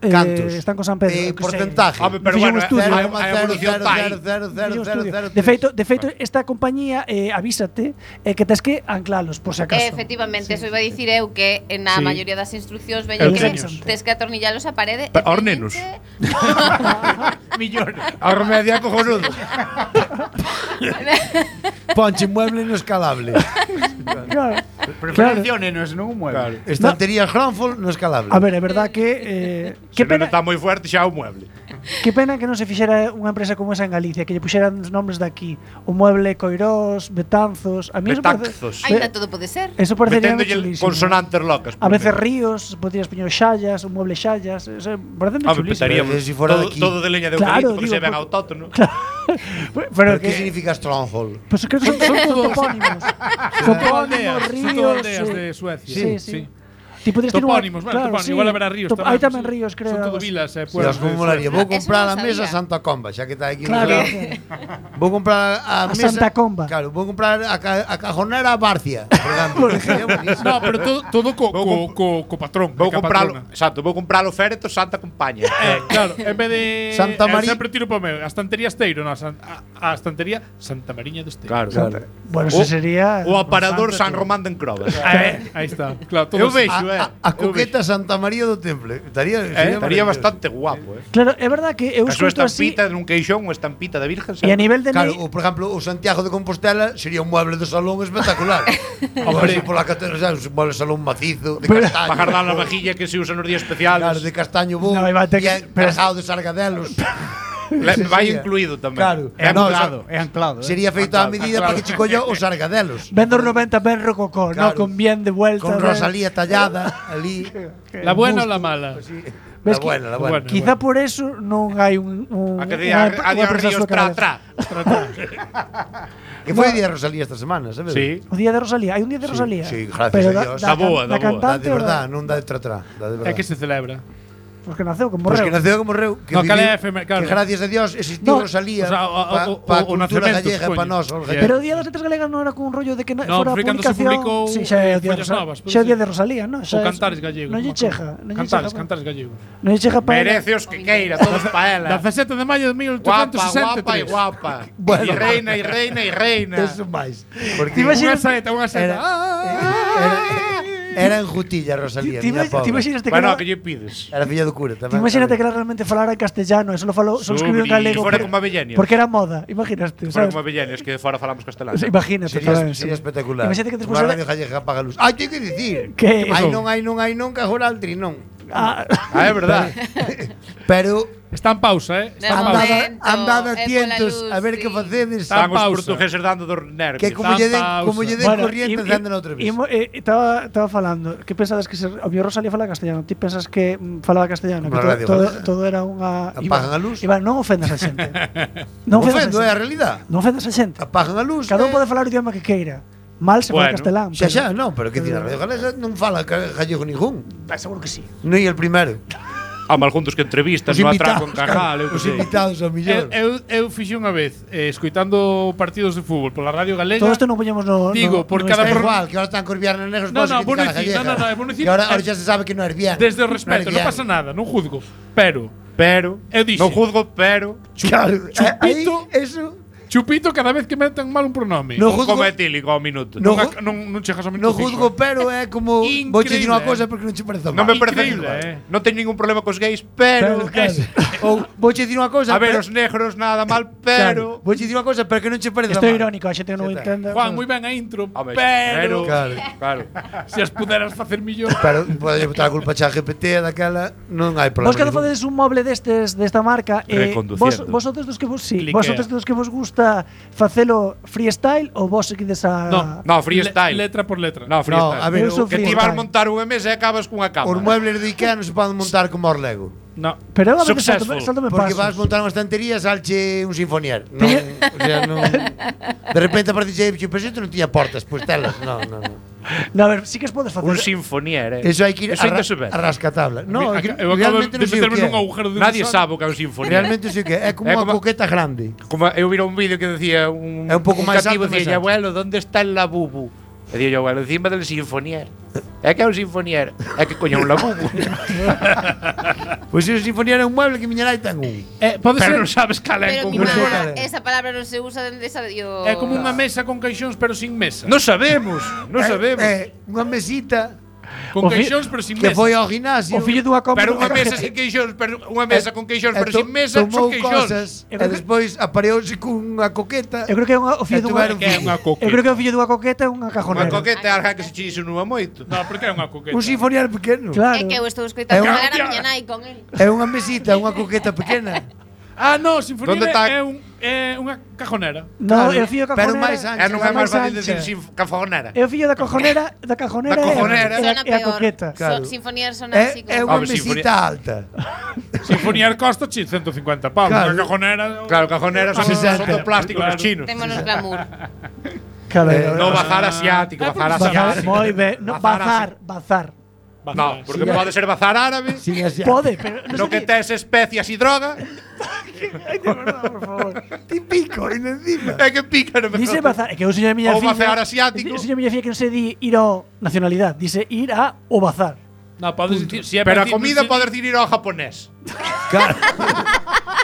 Cantos. están con San Pedro. eu que sei. Porcentaje. Home, pero Fixen un bueno, estudio. hai evolución tai. Fixen un estudio. De feito, esta compañía avísate que tes que anclalos, por se acaso. Efectivamente, eso iba a dicir eu que na Sí. maioría das instruccións Eu veñen que teños. tes que atornillalos a parede. Pero aos nenos. Millón. A remedia cojonudo. Ponche mueble no escalable. Claro. Preferencia o nenos, non un mueble. Estanterías Granfol no escalable. A ver, é verdad que Que que pena, está moi fuerte xa o mueble. que pena que non se fixera unha empresa como esa en Galicia, que lle puxeran os nombres de aquí, o mueble Coirós, Betanzos, a mí eso Betanzos. Ainda todo pode ser. Eso parecería Meténdolle chulísimo. consonantes locas. A veces ríos, podrías poñer xallas, un mueble xallas, eso parece Home, chulísimo. petaríamos Pero si fuera de todo, aquí. todo de leña de Claro, eucalipto, porque digo, se ven por- autóctono. Pero ¿Pero qué que significa Stronghold? pues creo que son todos topónimos. Son Topónimos, aldeas, son ríos. todas aldeas sí. de Suecia. Sí, sí. Ti podes ter Topónimos, bueno, topónimos, igual haberá ríos tamén. Hai tamén Sí. ríos, creo. Son algo todo así. vilas Dios, e pueblos. como de molaría. Suecia. Vou Eso comprar non a mesa sabía. Santa Comba, xa que está aquí. Claro. Vou comprar a A mesa Santa Comba. Claro, vou comprar a cajonera Barcia, por exemplo. No, pero todo co patrón. Vou ca compralo, patrona. exacto, vou compralo féreto Santa Compaña. Claro, en vez de Santa María- sempre tiro para o meu, a estantería Esteiro, no, a estantería Santa Mariña do Esteiro. Claro. Bueno, eso sería O aparador San Román de Encrobas. Aí está. Claro, todo Eu vexo, A coqueta Santa María do Temple. Estaría Estaría maravilloso. bastante guapo, Claro, é verdad que eu A súa escuto así estampita nun queixón, unha estampita de Virgen. e a nivel de Claro, por exemplo, o Santiago de Compostela sería un mueble de salón espectacular. Hombre, por la catedral, sabes, un mueble de salón macizo, de castaño. Para guardar la vajilla que se usa nos días especiales. Claro, de castaño bo, No, aí vai ter que- bien cargado de sargadelos. Vai sería. incluído tamén. Claro. É No, anclado, é anclado. Sería feito a medida para que chico yo os sargadelos. Vendo os 90 ben rococó, Claro. no, con bien de vuelta. Con ben- Rosalía tallada ali. La buena ou la mala? La Ves que- buena, la buena. Bueno. Quizá por eso non hai un A que día a día empresa ríos sueca tra de- tra. Que foi o día de Rosalía esta semana, sabes? Sí. O día de Rosalía, hai un día de Rosalía. sí, gracias Pero a Dios. Da boa, da boa. Da cantante de ou verdad, non da de tra-tra, da de É verdad. que se celebra. Os que naceu, como Pois morreu. que naceu como morreu. Que, No, cal é viviu- efeméride, claro. que gracias a Dios existiu No, Rosalía o sea, para a o cultura nacemento, gallega supoño. para nós. os gallegos. Pero o Día das Letras Galegas non era con un rollo de que No, fora a foi cando se publicación. publicou, Sí, xa é o Día de Follas Novas, Rosalía. Xa é o Día pode de Rosalía, non? O Cantares Gallego. Non lle cheja, non lle Cantares, cheja. Cantares Gallego. Non lle cheja para Merece os que queira, todos para ela. 17 de maio de Guapa, guapa e 1863. guapa. Bueno. E reina, e reina, e reina. Eso máis. Porque Te imaginas- Unha seta. era enjutilla Rosalía, miña Te pobre. imaginaste que Bueno, era- que lle pides? Era filla do cura Te tamén. imagínate que era realmente falara en castellano e solo escribiu en galego. Fora como Avellanios. Porque era moda, imaginaste, Fora sabes? como Avellanios, que de fora falamos castelán. Imagínate, Sería, tamén, sería sí. espectacular. Imagínate que despois Unha era- radio gallega que apaga a luz. Ai, teño que dicir. Que Ai, non, cajoraltri, non. Ah, Ah, é verdad. Pero Está en pausa, De Está en pausa. momento, andad é pola atentos luz, a ver sí. que facedes. Está Están os pausa. portugueses dando dos nervios. Que como lle den corriente, encenden outra vez. Estaba falando, que pensades que o mío Rosalía falaba castellano? Ti pensas que falaba castellano? Como Que na radio todo, galega. todo era unha Apagan a luz. Iván, non ofendas a xente. Non non ofendas ofendo, é a a xente. realidade. Non ofendas a xente. Apagan a luz. Cada un pode falar o idioma que queira. Mal se fala Bueno, castelán. Xa, non, pero que ti na radio galega non fala gallego ningún. Seguro que sí. Non é el primero. A mal juntos que entrevistas, Os no atraco en invitados, Cajal, eu que os sei. invitados ao millón. Eu fixi unha vez escoitando partidos de fútbol pola radio galega. Todo isto non poñemos no Digo, por cada É pro- igual, que ahora están con Viernes Negros, No, todos no, critican a bueno, decir, gallega. no, é bueno decir- Que ahora xa se sabe que non é bien. Desde o respeto, non bien. pasa nada, non juzgo. Pero Pero, Eu dixe. non juzgo, pero Claro, Chupito. aí, eso Chupito cada vez que meten mal un pronome. No un juzgo- como etílico ao minuto. No Non, ju- non chegas ao non minuto. juzgo, pero é como vou che dicir unha Increíble, cosa porque non che parece Non mal. me parece Increíble, igual. Non teño ningún problema cos gays, pero Ou vou che dicir unha cosa, a ver, pero- os negros nada mal, Claro, pero vou che dicir unha cosa, pero que non che parece Isto é mal. irónico, a xente non o Xa está. entende. Juan, moi ben a intro, Home, pero Claro. se as puderas facer millón. Pero pode botar a culpa xa a GPT daquela, non hai problema. Vos cando ningún. facedes un moble desta marca, Reconduciendo. vos outros dos que vos Cliquea. vos outros dos que vos gusta facelo freestyle ou vos seguides a No, freestyle. Letra por letra. No, freestyle. No, a ver, Eu sou que ti freestyle. vas montar unha mesa e acabas cunha cama. Os muebles de Ikea non se poden montar como os Lego. No. Pero a veces Successful. saltome Porque pasos. vas montar unha estantería e salche un sinfonier. Non, o sea, non. De repente aparece pero isto non tiña portas, pois telas. No. No, a ver, sí que os podes facer. Un sinfonier, Eso hai que ir Eso ainda se ve. a rascatabla. No, é que Eu acabo realmente de non sei o meterme que nun é. agujero de Nadie gusano. sabe o que é un sinfonier. Realmente sei o que é. É como É unha como- coqueta grande. Como eu vira un vídeo que decía É un pouco máis cativo alto, máis decía, ancho. abuelo, ¿dónde está el labubu? E día yo, abuelo, encima del sinfonier. É que é un sinfonier. É que coño un labubu. Pois o sinfonier é un mueble que miña nai ten un. Pode ser Pero non sabes cal é Pero en mi Como concreto. mamá, cara. esa palabra non se usa dende esa yo. é como unha mesa con caixóns pero sin mesa. Non sabemos, non sabemos. É unha mesita Con O fi- caixóns pero sin que mesa. foi ao gimnasio. O fillo dunha compra. Pero unha mesa sin queixóns, pero unha mesa con queixóns, pero sin mesa, son tomou queixóns. cosas Eu e creo que- despois apareouse cunha coqueta. Eu creo que é o fillo E tuveron dunha Que é unha coqueta. Eu creo que o fillo dunha coqueta é unha Unha cajonera. coqueta é algo que se che insinúa moito. No, porque é unha coqueta. Un sinfonier pequeno. Claro. É que eu estou É escoitando unha- falar a miña nai con el. É unha mesita, unha coqueta pequena. Ah, no, sinfonía ¿Dónde está? é unha cajonera. No, Claro, é o fillo da pero cajonera. máis ancha. É non é máis fácil ancha. decir cafonera. É o fillo da cajonera, Da cajonera. é Sona a peor. coqueta. Claro. Sinfonía sona así É como. unha Home, mesita alta. Sinfonía costa 150 pavos. Claro. Unha cajonera. Claro, cajonera son, Ah, son do plástico claro. los chinos. Témonos glamour. Claro, No bazar asiático, bazar asiático. Moi ben, no, bazar. No, porque pode ser bazar árabe. Sin así. Pode, pero No que tes especias e droga. Ai, de verdade, por favor. Típico, e encima. É que pica no Dice mejor. bazar, é que eu señor a miña Ou filla. bazar asiático. Señor a miña filla que non se di ir ao nacionalidade, dice ir a o bazar. No, podes dicir, si é Pero a para comida dicir- pode decir ir ao japonés. Claro.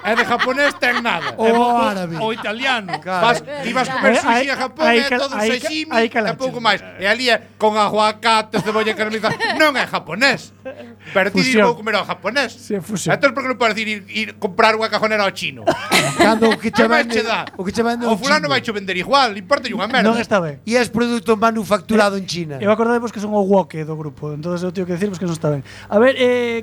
E de japonés ten nada. O árabe. O italiano. Vas, ti vas comer sushi a Japón Aí é cal- todo un aí sashimi aí e calache. pouco máis. E ali é con aguacate, cebolla caramelizada. Non é japonés. Pero ti Fusión. vou comer ao japonés. Sí, fusión. Entón por que non podes ir comprar unha cajonera ao chino? Cando o que che Que máis vende, che dá? o que che vende O fulano vai chino. cho vender igual, importa unha merda. Non está ben. E é produto manufacturado en China. Eu acordadevos que son o woke do grupo, entonces eu teño que decirvos que non está ben. A ver,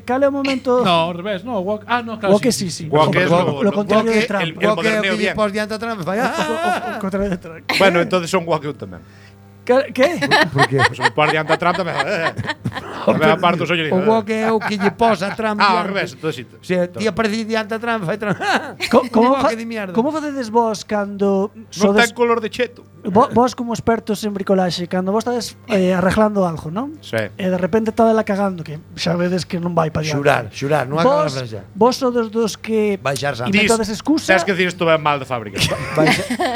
cal é o momento? No, ao revés, no. No, claro. Woke sí, sí. Woke es Lo contrario de woke, Trump. el O que é o moderneo que lle bien. pos diante atrás me fai. O contrario de Trump. Bueno, entonces son guaqueu tamén. Que? Por qué? Pues un par diante a Trump tamén. A ver, aparto os ollos. O wok é o que lle posa a tram. Ao revés, todo xito. O sea, ti aparece diante a tram, fai tram. Como, Wok de mierda. como facedes vos cando Non ten color de cheto. vos como expertos en bricolaxe, cando vos estades arreglando algo, non? Sí. E de repente estadela cagando, que xa vedes que non vai para diante. Xurar, non acaba a Vos, frase. vos sodes dos que Baixar sangue. inventades excusa. Tens que decir isto ven mal de fábrica.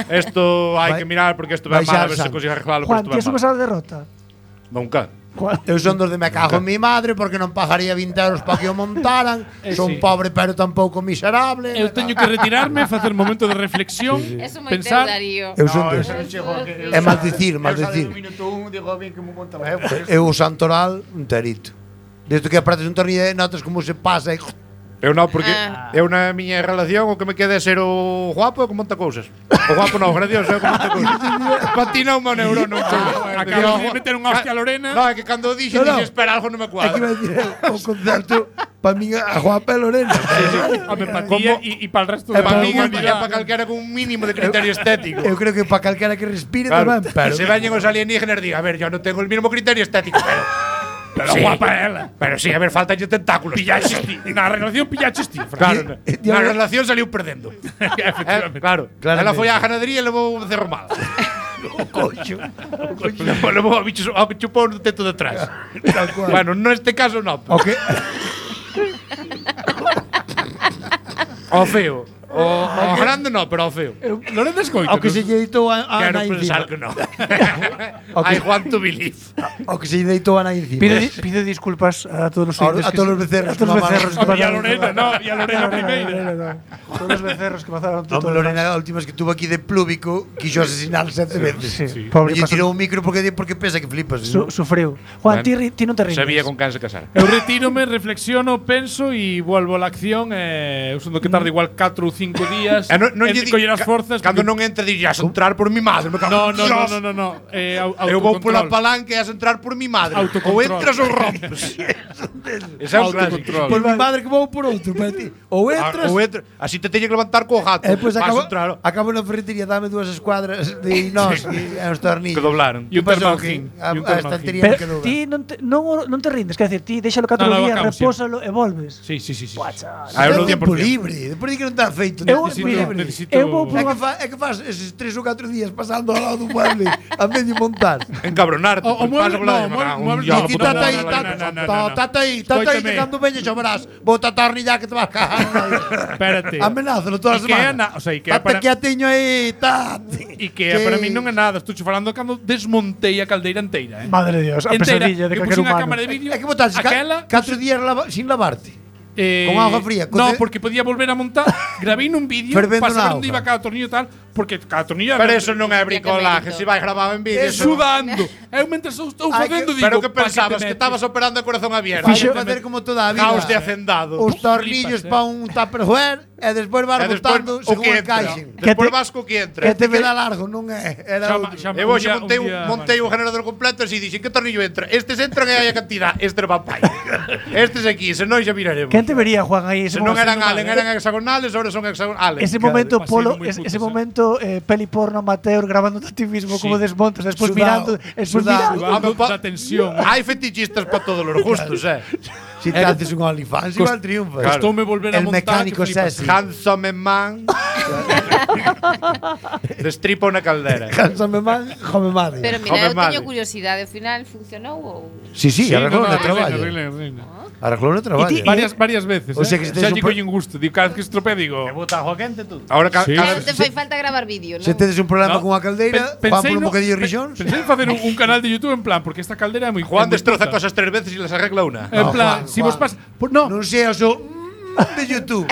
Esto hai que mirar porque isto ven mal, a ver se consigue arreglarlo, Juan, pero ti isto has ven mal. pasado derrota? Nunca. Juan. Eu son dos de me cago en mi madre porque non pagaría 20 euros para que o montaran. Son sí. pobre pero tampouco miserable. Eu teño que retirarme, facer un momento de reflexión, Eso moi pensar. teu, Darío. Eu son dos. Eso non chego a que... É maldicir, Eu maldicir. do minuto 1 digo bien que me monta eu. Eu o santoral, un terito. Desde que apretas un tornillo notas como se pasa e Eu non, porque eu na miña relación o que me queda é ser o guapo e o que monta cousas. O guapo non, gracioso, é o que monta cousas. Patina un neurono. Acabas de meter un hostia a Lorena. No, é que cando dixo, No, no. dixo, espera, algo non me é que cuadra. iba a decir o concerto para min a Juanpa e Lorena. Home, para ti e para el resto E da para min é humanidade. para calquera con un mínimo de criterio estético. Eu creo que para calquera que respire Claro, tamén, pero se veñen os alienígenas diga, a ver, yo non tengo el mismo criterio estético, pero Pero guapa ela. Pero sí, a ver, faltan tentáculos. Pillaches ti. Na relación pillaches ti. Claro, na relación saliu perdendo. Efectivamente. Claro, ela foi á ganadería e levou un cerro mal. Levou a bichos ao que chupou no teto de atrás. tal cual. Bueno, neste caso non. O que O feo. O grande non, pero o feo. Lorena escoita. ao que se lle deitou a Quero Ana pensar encima. que non. Ok. I want to believe. Ao que se lle deitou a Ana encima. Pido disculpas a todos los A todos los becerros a todos que los becerros que E a pasaron. Lorena, no, e a Lorena primeira. Todos los becerros que pasaron. Home, Lorena, a última vez que tuvo aquí de plúbico, quiso asesinar 7 veces. Sí, pobre, Lle pasó- tirou un micro porque pensa que flipas. ¿no? sufriu. Juan, Bueno, ti non te rindes. Sabía con quen se casar. Eu retírome, reflexiono, penso e volvo a la acción. Eu son do que tarda igual 4 ou 5 días. Non lle en coller as forzas. Cando non entra dirás entrar por mi madre, me cago. No, en no, Dios. no. Eu vou pola palanca e as entrar por mi madre. Autocontrol. Ou entras ou rompes. Ese é un clásico. Autocontrol. Por mi madre que vou por outro, para ti. Ou entras, Ou entra, así te teño que levantar co gato. e depois Vas acabo, entrar. acabo na ferretería, dame 2 escuadras de inos e uns tornillos. Que doblaron. E un Pasou termagín. que a E un termagín. estantería Pero me quedou. ti non te rindes, quer decir, ti déxalo 4 No, no, días, acabo repósalo e volves. Sí. Ah, eu É non tempo 100%. libre, depois di que non está feito. Eu, tempo mira, libre. necesito- eu vou por É unha que faz eses 3 ou 4 días pasando ao lado do mueble a medio montar. Encabronarte. O mueble, Ti tata aí, tata aí, que cando veñes xa verás, vou tatornillar que te vas cagar. Espérate. Amenázalo todas as Ikea semanas. o sea, Ikea Tata para que a teño aí, tate. Ikea para mí non é nada. Estou falando cando desmontei a caldeira inteira, Madre de Dios, a pesadilla de eu calquer puxen a humano. cámara de vídeo. É que botaste aquela 4 días sin lavarte. Con agua fría, No, coce- porque podía volver a montar. Grabei nun vídeo Fervendo para na saber onde auga. iba cada tornillo e tal, porque cada tornillo Pero eso non é bricolaje, mérito. se vai grabado en vídeo. eso- sudando. Eu mentre estou Ai, facendo que- digo, Pero que "Pa pensabas te que metes?" estabas operando a corazón abierto. Vai Fixo- facer como toda a vida. Caos de hacendado. Os tornillos Flipas, para un tupperware e despois vas E despois botando o según que encaixen. entra. Que Despois te- vas co que entra. Que te vela largo, non é? Era Chama- outro. chama- Eu hoxe un día- montei o generador completo e así dixen que tornillo entra. Estes entran e hai a cantidad, este va pai. Estes aquí, se non xa miraremos. Quen te vería, Juan, aí ese Se non momento? eran Allen, eran hexagonales, ahora son hexagonales. Ese momento Claro, polo, va a ser muy ese puto, momento peli porno amateur grabando a ti mismo como desmontas, despois Sudado, mirando, despois sudado. mirando. Sudando da tensión. Hai fetichistas para todos os gustos, Si te haces un OnlyFans, igual triunfas. Costoume volver a El montar. mecánico que flipas. sexy. Handsome man. Destripa unha caldera. Cánsame mal, jome madre. Pero mira, Home, eu teño vale. curiosidade, ao final funcionou ou Sí, sí, arreglou no, no no, traballo. arreglei. Arreglou no traballo. Varias veces. O sea que se xa tes un lle collen gusto. Digo, cada vez que estropea digo, Bota agua quente tú. Ahora Sí. non te fai falta gravar vídeo, non? Se tedes un problema No. con a caldeira, fan por un bocadillo de rixóns. Pensei en facer un canal de YouTube en plan, porque esta caldera é moi Juan é moi destroza puta. cosas 3 veces e las arregla una. En No, plan, Juan, si vos Juan. pasa, no, Non seas o de YouTube.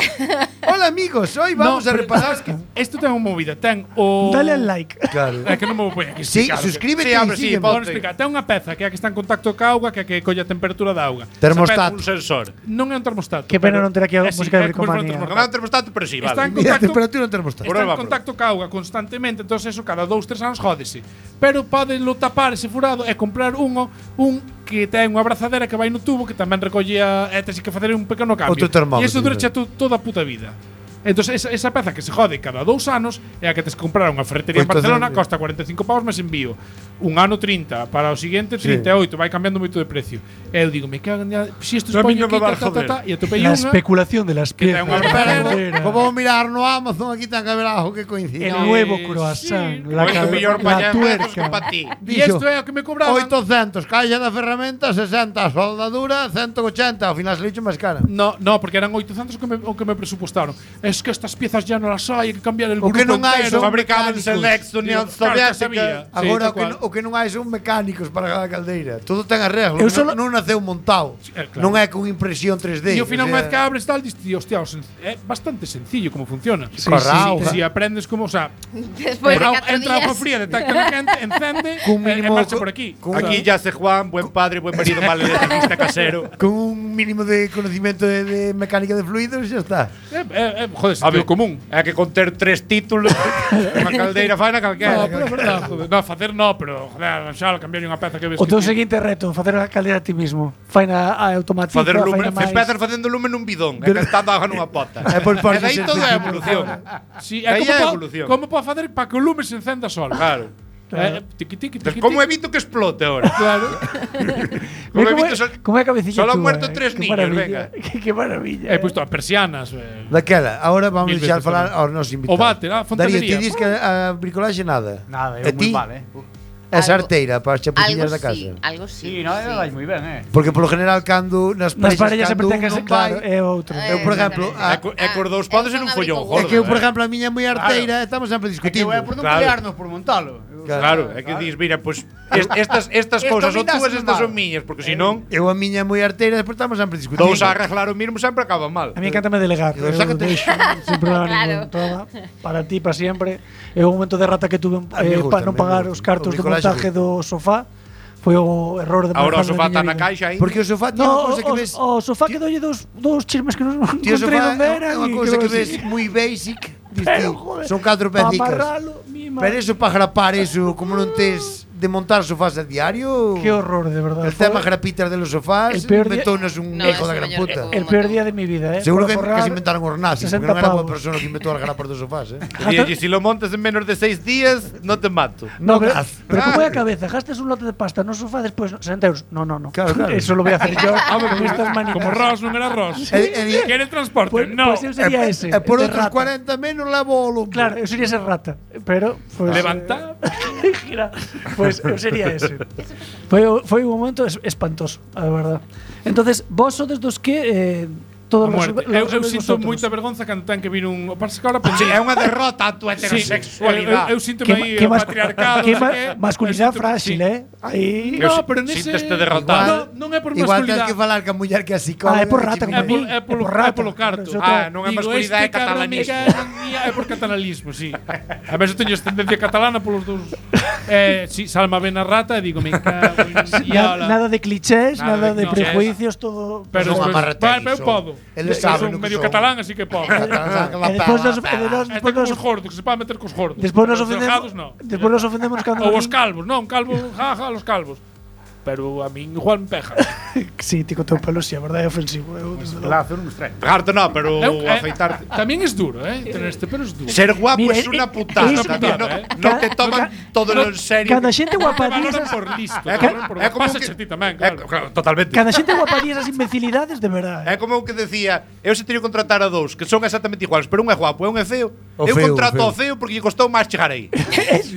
Hola amigos, hoy vamos a pero repasar. sabes que isto ten unha movida, ten o Dale al like. Claro. É que non me vou poñer aquí. Sí, explicar, suscríbete Sí, y hombre, sí, sígueme. pon- Vamos a explicar. Ten unha peza que é a que está en contacto ca auga, que é a que colle a temperatura da auga. Termostato. Un sensor. Non é un termostato. Que pena pero non ter aquí a é así, música de é como se fora un bricomanía. Non é termostato. un termostato, pero sí, Está vale. en Mira, a contacto, temperatura no termostato. está en Prueba, contacto ca auga constantemente, entón eso cada 2-3 anos jódese. Pero podelo tapar ese furado e comprar un que ten unha abrazadera que vai no tubo que tamén recolle e tes que facer un pequeno cambio. Outro termómetro, E iso dura claro. toda a puta vida. Entonces esa peza que se jode cada 2 anos é a que tes que comprar unha ferretería en 800. Barcelona, costa 45 pavos máis envío. Un ano 30, para o siguiente 38, vai cambiando moito de precio. E eu digo, me cago en ya, si isto A mí España non me aquí, va a joder. e atopei La unha especulación de las que ten piezas. unha Caldera. Como mirar no Amazon, aquí ten que haber algo que coincide. El nuevo croissant, sí. la, Moito mellor la pañar que tuerca. pa ti. E isto é o que me cobraban. 800, caixa da ferramenta, 60, soldadura, 180, ao final se licho máis cara. No, porque eran 800 o que me presupuestaron. Es que estas piezas ya no las hay que cambiar el O grupo que non hai entero. son Fabricaban mecánicos. Selex, Unión Digo, claro que Soviética. sabía. Sí, Agora tal cual. o que non hai son mecánicos para cada caldeira. Todo ten arreglo, Eu solo- non naceu montado. claro. Non é con impresión 3D. E ao final, o unha sea, vez que abres tal, dices, tío, hostia, é bastante sencillo como funciona. Corrao, Si aprendes como, o sea, Después de 4 entra agua días. fría, detecta lo quente, encende, Cun e mínimo marcha co- por aquí. con- Aquí ya se Juan, buen padre, buen marido, mal electricista casero. con un mínimo de conocimiento de mecánica de fluidos xa está. Joder, A ver, sentido común. É que con ter 3 títulos, unha caldeira faina No, calquera. pero é verdad, joder. No, facer no, pero joder, xa cambiar unha peza que ves. O que teu ti- seguinte reto, facer a caldera a ti mismo. Faina a automatiza, Facer lume, faina máis. empezar facendo lume nun bidón, e cantando agua nunha pota. É por E dai ser todo é sencillo. evolución. Sí, Aí é como evolución. como pode facer para que o lume se encenda solo. Claro. Tiqui, tiqui, Entonces, tiqui, ¿cómo tiqui. evito que explote ahora? Claro. ¿Cómo Mira evito sol- como é a cabecilla Solo han túa, muerto 3 Qué niños, maravilla. venga. Qué maravilla. He puesto a persianas. Daquela, ahora vamos Mil deixar veces falar tamén. aos nosos invitados. O váter, a Darío, fontanería. ti dis que a bricolaxe nada. Nada, E eu ti? moi mal, É Algo- sarteira para as chapuciñas da casa. Sí, algo sí. Sí, no, vais moi ben, Porque polo general cando nas Nas parejas parellas sempre cando ten que un ser non claro, vai, é outro. eu, por exemplo, É cor dous podes ser un follón gordo. é que eu, por exemplo, a miña é moi arteira, e estamos sempre É que discutindo. eu é por non Claro. pelearnos por montalo. Claro, é que dis, mira, pues estas Esto cousas son mindas túas, no estas mal. son miñas, porque senón Eu a miña é moi arteira, despois estamos sempre discutindo. dous a arreglar o mínimo sempre acaban mal. A mí encantame delegar. Digo, Eu sácate. deixo, sin problema Claro. ningún. Toma, para ti, para siempre. É un momento de rata que tuve A mí gusta, para non me pagar gusta. os cartos O de bricolaxe montaje do sofá. Foi o error de Ahora o manejar sofá da está miña na vida. caixa aí. Porque o sofá tiene unha No, cousa que ves... o sofá que dolle dos chismes que non Tío, o encontrei sofá onde é eran. unha e cousa que así. ves moi basic. Dis Pero, ti, joder, son 4 pa pecicas. amarralo, mima. Pero eso para grapar eso, como non tes de montar sofás a diario... Qué horror, de verdad. El Fue tema grapitas de los sofás el peor día- inventónos un No, hijo ese de gran mellor puta. que el peor día de mi vida, Seguro Por que forrar se inventaron os nazis, 60 porque non era boa pavos. persona que inventou as grapas dos sofás, Dille, si lo montas en menos de 6 días, no te mato. No, pero, gas. pero como é a cabeza, gastas un lote de pasta no sofá después 60 euros. No. Claro, claro. Eso lo voy a hacer yo con estas manitas. Como Ross, non era Ross. ¿Quieres transporte? Pues, no. pues eu sería ese. E por de outros rata. 40 menos levo o lombo. Claro, eu sería ese rata. Pero, pues, Levanta. gira. Pues eu sería ese. Foi un momento espantoso, a verdad. Entonces, vos sodes dos que todos A muerte. Eu resolvedes sinto vosotros. moita vergonza cando ten que vir un... O pasa que ahora Sí, é unha derrota a tua heterosexualidade. eu sinto aí o patriarcado. que non sei que, masculinidade eu sinto- frágil, sí. Aí. No, pero nese... Sínteste derrotado. Non é por Igual tens masculinidade. que falar ca muller que a psicóloga. É por rata, como a mí. É polo rata. polo carto. Eso Ah, non é Digo, masculinidade, é este cabrón catalanismo. é por catalanismo, sí. A veces teño ascendencia catalana polos dous. Si Salma ven a rata e digo, me cago en diabla. Nada de clichés, Nada nada de de clichés. prejuicios, todo. Pero Son despois- amarrateis, eu son. podo. Eles Eu saben son o que medio son. catalán, así que podo. E despois nos, Este como os gordos, que se pode meter cos gordos. despois nos Pero os delgados, ofendemos. no. Despois nos ofendemos cando Ou os calvos, non, calvo, jaja, los calvos. Pero a min igual me pega. Sí, ti co teu pelo, si, a verdade é ofensivo. Eu, desde logo. Lazo non estranho. Pegarte no, pero Eu- afeitarte. Tamén es duro, Tener este pelo es duro. Ser guapo Mira, es una es putada. una putada, No te toman todo en serio. Cada xente Te valoran guapadiesas, por listo, É te como- valoran por é como pasa que- ti tamén, É claro. claro, totalmente. cada xente guapadiesas imbecilidades de verdade. É como o que decía, eu se teria que contratar a dous que son exactamente iguales, pero un é guapo e un é feo. O Eu feo, contrato o ao feo porque lle costou máis chegar aí.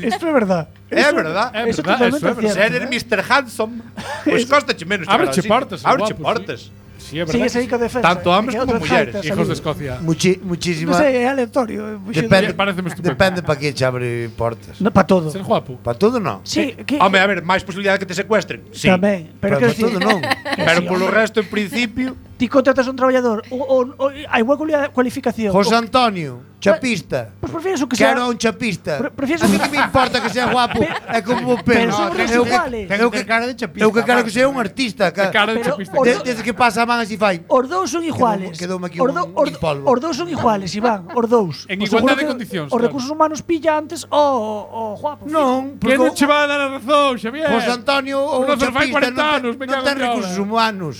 Isto é verdade. É verdad. É Eso verdad, totalmente eso é verdad. Se cierto. eres Mr. Handsome, pois costache menos chegar Ábreche ao sitio. portas, el Ábreche guapo, portas. Sí, é Sigue verdad. ese ico defensa. Tanto hombres Que como outras mulleres. jaitas Hijos de ali. Escocia. Muchísima. Non sei, é aleatorio. Depende, Pareceme estupendo. depende para que che abre portas. No, para todo. Ser guapo. Para todo non. Sí, que Home, a ver, máis posibilidade que te secuestren. Sí. tamén. Pero Para que decir, todo non. Pero polo resto, en principio, ti contratas a un traballador o hai igual cualificación. José Antonio, chapista. Pues prefieres o que sea. Quero a un chapista. Prefieres A mí que me importa que sea guapo. É como o pelo. Pero son os Eu iguales. eu que cara de chapista. Eu que quero que sea un artista. De cara de Pero chapista. os Desde que pasa a man así fai. Os dous son iguales. Quedoume aquí Os un polvo. os dous son iguales, Iván, os dous. En Os igualdad seguro de que condicións, Os claro. recursos humanos pilla antes o guapo. Non, Que porque non che va a dar a razón, Xavier. José Antonio ou Uno un fai chapista 40 anos, me non cago ten en Dios. recursos humanos.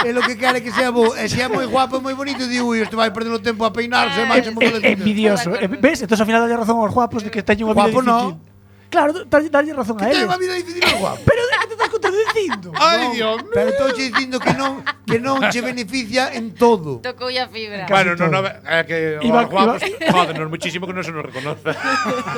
É lo que quere que sea bo. E se é moi guapo, moi bonito, digo, isto vai perder o tempo a peinarse, máis se Envidioso. Ves? Entonces ao final dalle razón aos guapos de que teñen unha vida Guapo no. difícil. Claro, dalle razón a Ten eles. unha vida difícil o guapo. Pero de que te estás contradicindo? Ai, Dios mío. Pero estou che dicindo que non che beneficia en todo. Tocou a fibra. Bueno, todo. no, é que Iba- os guapos, jodenos muchísimo que non se nos reconoce.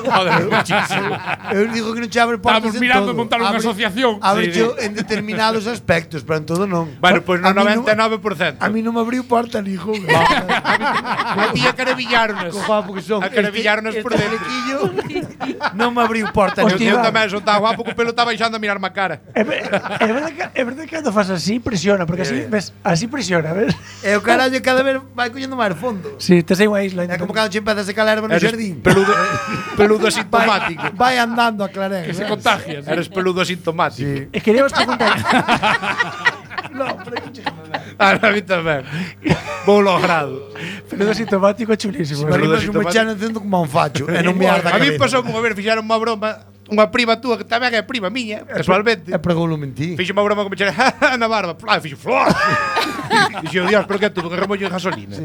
Jodenos muchísimo. Eu digo que non che abre portas Estamos en mirando todo. montar unha asociación. Abre Sí, en determinados aspectos, pero en todo non. Bueno, pois no A mí non- 99%. A mí non me abriu porta ni joder. A ti acarabillarones. Co guapo que son. Acarabillarones por dentro. flequillo non me abriu porta. Eu Hostia, tamén son tan guapo que o pelo está baixando a mirarme a cara. É verdade que cando fas así presiona, porque así, ves, así presiona, ves? E o carallo cada vez vai collendo máis fondo. Si, te sei unha isla. É como cando che empeza a secar a erva no Eres xardín. peludo asintomático. Vai andando a clarén. Que se contagia. Eres peludo asintomático. E queríamos preguntar. A mí tamén. Vou logrado. Peludo sintomático chulísimo. Sí, Arriba Peludo un mechano encendo como un facho. E non me arda A mí cabeza. pasou unha vez, fixeron unha broma unha prima túa que tamén é prima miña, casualmente. E pregoulo mentí. Fixe unha broma que me chega na barba, fixo flor. Dixo, Dios, pero que é tudo un remollo de gasolina.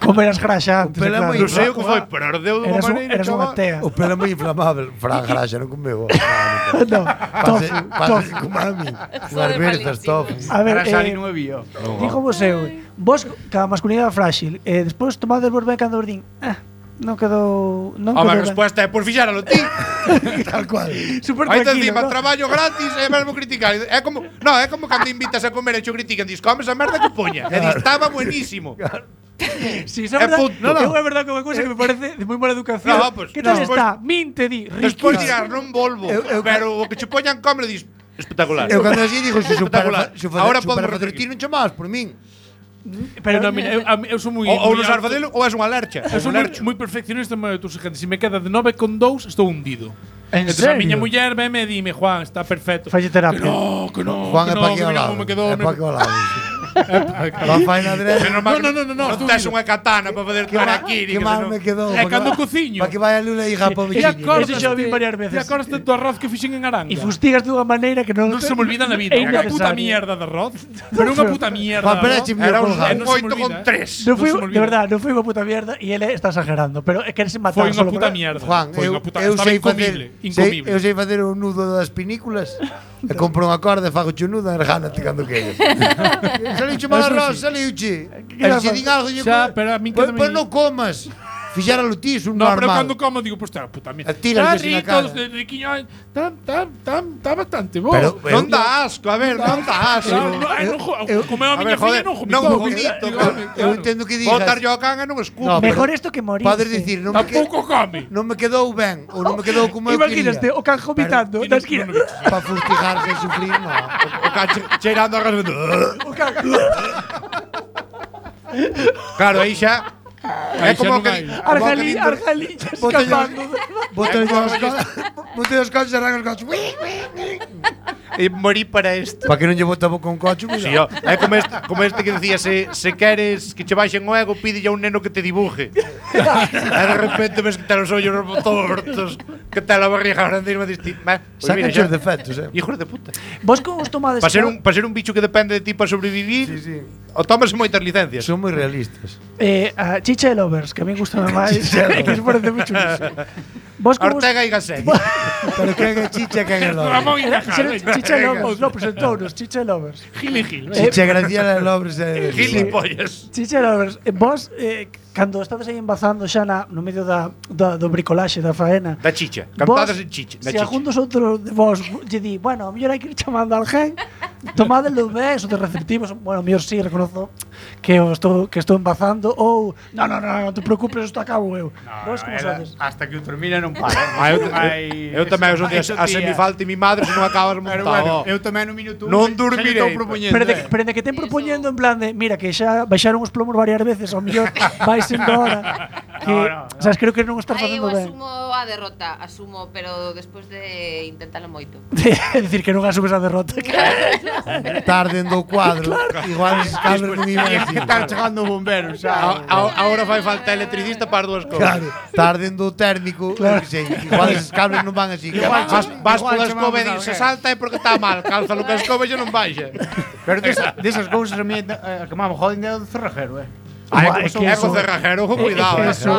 Comerás graxa antes, O pelo é claro. moi Non sei o que foi, pero ardeu de unha maneira, Eras unha chaval. tea. O pelo é moi inflamable. Fran graxa non comeu. No, Pase tofu. como a mí. Foi Unhas verzas malísimo. tofu. A ver, Grasari non me vio. dijo vos eu, vos ca masculinidade frágil, despois tomades vos ben cando vos din, non quedou, non A quedou ben. resposta é por fixáralo ti. Tal cual. Super Aí te tranquilo, encima ¿no? traballo gratis e mesmo criticar. É como, no, é como cando invitas a comer e cho critican, dis, comes a merda que poña. E dis, estaba buenísimo. Sí, iso é É verdad. punto. É verdad que é unha cousa que me parece de moi mala educación. No, pues, que tal despois- está? Minte di, Despois riquísimo. dirás, non volvo. Pero o que che poñan comer, dis, espectacular. Eu cando así digo, se Espectacular. Ahora podemos facer repetir. ti non chamabas por min. Pero No, mira, eu sou moi Ou moi non sabes alto. facelo ou és unha lercha. Eu sou moi perfeccionista, mas tú gente, se me queda de 9,2 estou hundido. En Entonces a serio? miña muller veme e dime, Juan, está perfecto. Falle terapia. Que no, Juan é que pa no, aquí que ao mira lado. como me quedou. É pa aquí ao lado. Va faina adrede. No, tes unha katana para fazer harakiri. Que mal me quedou. É cando cociño. Para que vaya Lula e hija po E veciño. Ese xa o vi varias veces. E acordaste do arroz que fixen en Aranga. E fustigas de unha maneira que non Non se me olvida na vida. É Unha puta innecesario. mierda de arroz. Pero unha puta mierda Juan de Pérez arroz. Chimio Era un colgado. non se me 8 con olvida, 3. Non foi, se me de olvida. verdade, non foi unha puta mierda e ele está exagerando, pero é que se matar Foi unha solo puta por- mierda. Juan, Foi eu, unha puta, eu estaba sei incomible, facer, incomible. eu sei facer o nudo das pinículas. E compro unha corda e fago o nudo e regánate cando queres. Saliuche mal arroz, saliuche. E se din algo, Xa, pero a min quédame- Pois non comas. Fixáralo ti, un No, pero normal. cando como digo, pues está puta mierda. Tírale así na cara. Riquiño, está bastante bo. Pero- Non dá asco, a ver, non dá asco. Comeu a A miña ver, filla joder, non non vomitou. vomito, Eu entendo que digas. Botar yo a can e non escupo. No, Mejor pero esto que morir. Podes dicir, non me, Tampouco come. non me quedou ben ou non me quedou como eu Imaginaste o can vomitando na esquina. Para fustigarse e sufrir, no. O can cheirando a gas. O can. Claro, aí xa. É como que. Argalí, escapando. Botei os coches e arranca os coches. E morí para isto. Para que non lle bota a boca un coche, Sí, ó, é como este que decía, se queres que che baixen o ego, pídelle a un neno que te dibuje. E de repente ves que te os ollos tortos, que te la barriga grande e me diste, pues Sacan mira, xa. os defectos, Hijos de puta. Vos como os tomades? Para ser un bicho que depende de ti para sobrevivir, Sí, sí. o tomas moitas licencias. Son moi realistas. A Chicha de Lovers, que a mí gusta máis. Que se parece mucho. Vos como Ortega y Gasset. Pero que é chicha que é lo. Ramón y Era- Cajal. Chicha de Lovers, no, presentounos, Chicha de Lovers. Gil y Gil. Chicha Graciela Lobres e Gilipollas. Chicha de Lovers, vos, cando estades aí embazando xa no medio do bricolaxe, da faena, Da chicha. Cantadas en chicha. Da se algún dos outros de vos lle di, bueno, a mellor hai que ir chamando a alguén, tomádelo ben, son de receptivos, bueno, a mellor sí, reconozo que estou embazando, ou, non te preocupes, isto acabo eu. Vos como sodes? Hasta que o termina non para. Eu tamén os días a semifalta e mi madre se non acabas Pero montado. bueno, eu tamén no minuto Non dormirei. Pero de que ten propoñendo en plan de, mira, que xa baixaron os plomos varias veces, ao mellor vais embora. que, sabes, creo que non estás Aí eu facendo ben. asumo a derrota, pero despois de intentalo moito. É dicir, que non asumes a derrota. Tarden do cuadro. Igual esos cables non iban Que así. tal chegando o bombero, xa. Ahora fai falta electricista para as dúas cousas. Claro, tarden do térmico, eu que sei, igual esos cables non van así. Vas Igual pola escoba chamamos e a dis, se alguén. salta é porque está mal. Cálzalo que a escoba xa non baixa. Pero desas cousas a mí que me joden é o do cerrajero, Ai, é co cerrajero, con cuidado. eso-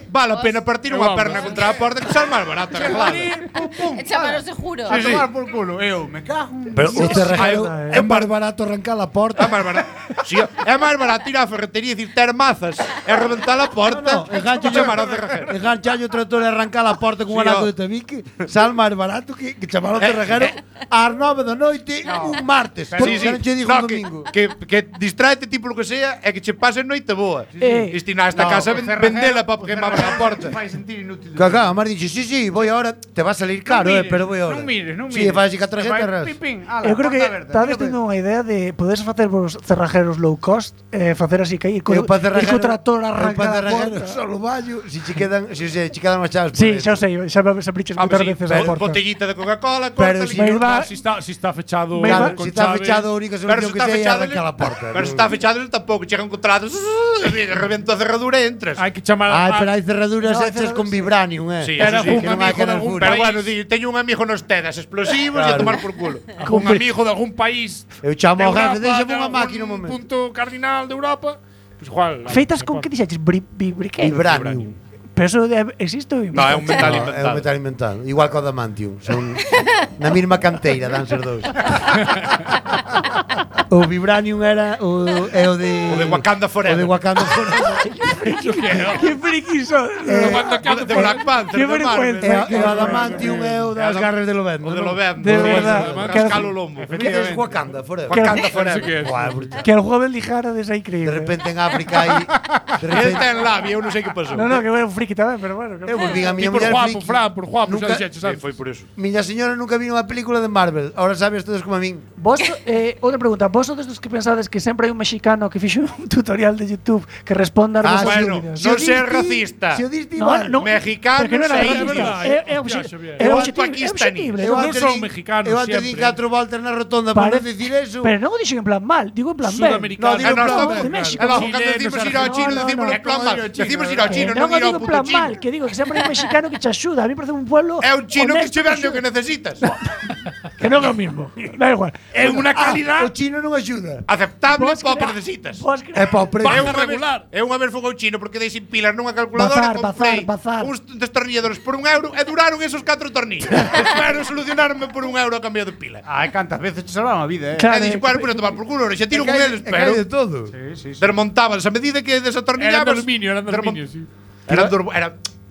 Vale a pena partir unha perna contra a porta que sal máis barato arreglado. E chamalo seguro. A tomar por culo, eu me cago. Pero o cerrajero É máis barato arrancar a porta. É máis barato. Si, é máis barato ir á ferretería e dicir ter mazas e reventar a porta. engancha chamar ao cerrajero. Enganchallo o trator e arrancar a porta con un Sí, anaco ó. de tabique, sal máis barato que chamar ao cerrajero ás 9 da noite un martes. Porque xa non che digo un domingo. Que distráete tipo lo que sea e que che pase noite boa. Destinar esta casa vendela para que me abra a porta. Fai sentir inútil. Cacá, Mar dixe, sí, voy ahora, te va a salir caro, pero voy ahora. Non mires. Sí, fai así que a tarjeta ras. Eu creo que estades tendo unha idea de podes facer vos cerrajeros low cost, facer así que ir co trator arrancar a porta. Solo vallo, si che quedan as chaves. Sí, xa o sei, xa me abriches moitas veces a porta. Botellita de Coca-Cola, Pero corta si me va- Si está fechado Me va- con Si está chave- fechado, a única Pero solución se que está sei é fechado, arrancar a porta. pero se está fechado tampouco chegan contratos. Revento a cerradura e entras. Hai que chamar Ai, pero hai cerraduras No, hechas con vibranium, Sí, Era eso sí, un que non hai amigo que de dar algún fura. Pero bueno, teño un amigo nos tedas explosivos e a Claro. tomar por culo. un amigo de algún país Eu chamo de ao jefe, Europa, deixame de unha algún máquina un momento. punto cardinal de Europa. Pues igual. Feitas con que dixeches briquet. Vibranium. Pero eso existe ou No, é un metal No, é inventado. un metal inventado. Igual que o Adamantium. Son na mesma canteira, dan ser dous. O Vibranium era o de O de Wakanda Forever. O de Wakanda Forever. Que friquizo. De Black Panther, Qué de Marvel. vergüenza. E o Adamantium é o das garras de Lobezno. O de Lobezno. De verdad. Cascalo Lombo. Que é Wakanda Forever. Wakanda Sí que Forever. es. Guau, brutal. Que el juego lijara de increíble. De repente en África hai de Ele repente ten labia, eu non sei que pasou. No, que era un friki tamén, pero bueno. eu volvín a Y miña por muller guapo, friki. Fran, por guapo, Nunca- xa dixeches Sí, antes. foi por eso. Miña señora nunca vino unha película de Marvel. Ahora sabes todos como a min. Vos, outra pregunta, vos sodes dos que pensades que sempre hai un mexicano que fixo un tutorial de YouTube que responda a vosas bueno, dúbidas? non ser racista. Se o diste No, igual. no, Mexicanos pero que non era e racista. indios. É Xavier. é Ou obxectivo, paquistaníes. Eu Non antes son di- mexicanos Eu antes di siempre. 4 voltas na rotonda para non dicir eso. Pero non o dixen en plan mal, digo en plan ben. Sudamericanos. No, digo E nós plan tamén. de México. E logo, Chilenos, cando decimos ir ao chino, no, decimos no. en plan mal. Decimos ir ao chino, non non o ir ao digo en puto plan chino. mal, que digo que sempre hai un mexicano que te axuda. A mí parece un pueblo É un chino que honesto che vende o axuda. que necesitas. Que non é o mismo. Da igual. É unha calidad. O chino non axuda. Aceptable Vos para o que crea- necesitas. Vos crea- É para o precio. Eu unha vez fui ao chino porque dei sin pilas nunha calculadora Bazar, e comprei bazar. uns destornilladores por €1 e duraron esos 4 tornillos. Espero solucionarme por €1 a cambio de pila. Ai, cantas veces te salvan a vida, Claro. E dixen, bueno, pues a tomar por culo, xa tiro con eles, É que hai de pero todo. Sí. desmontabas a medida que Eran de desatornillabas. aluminio, eran de aluminio, sí. Era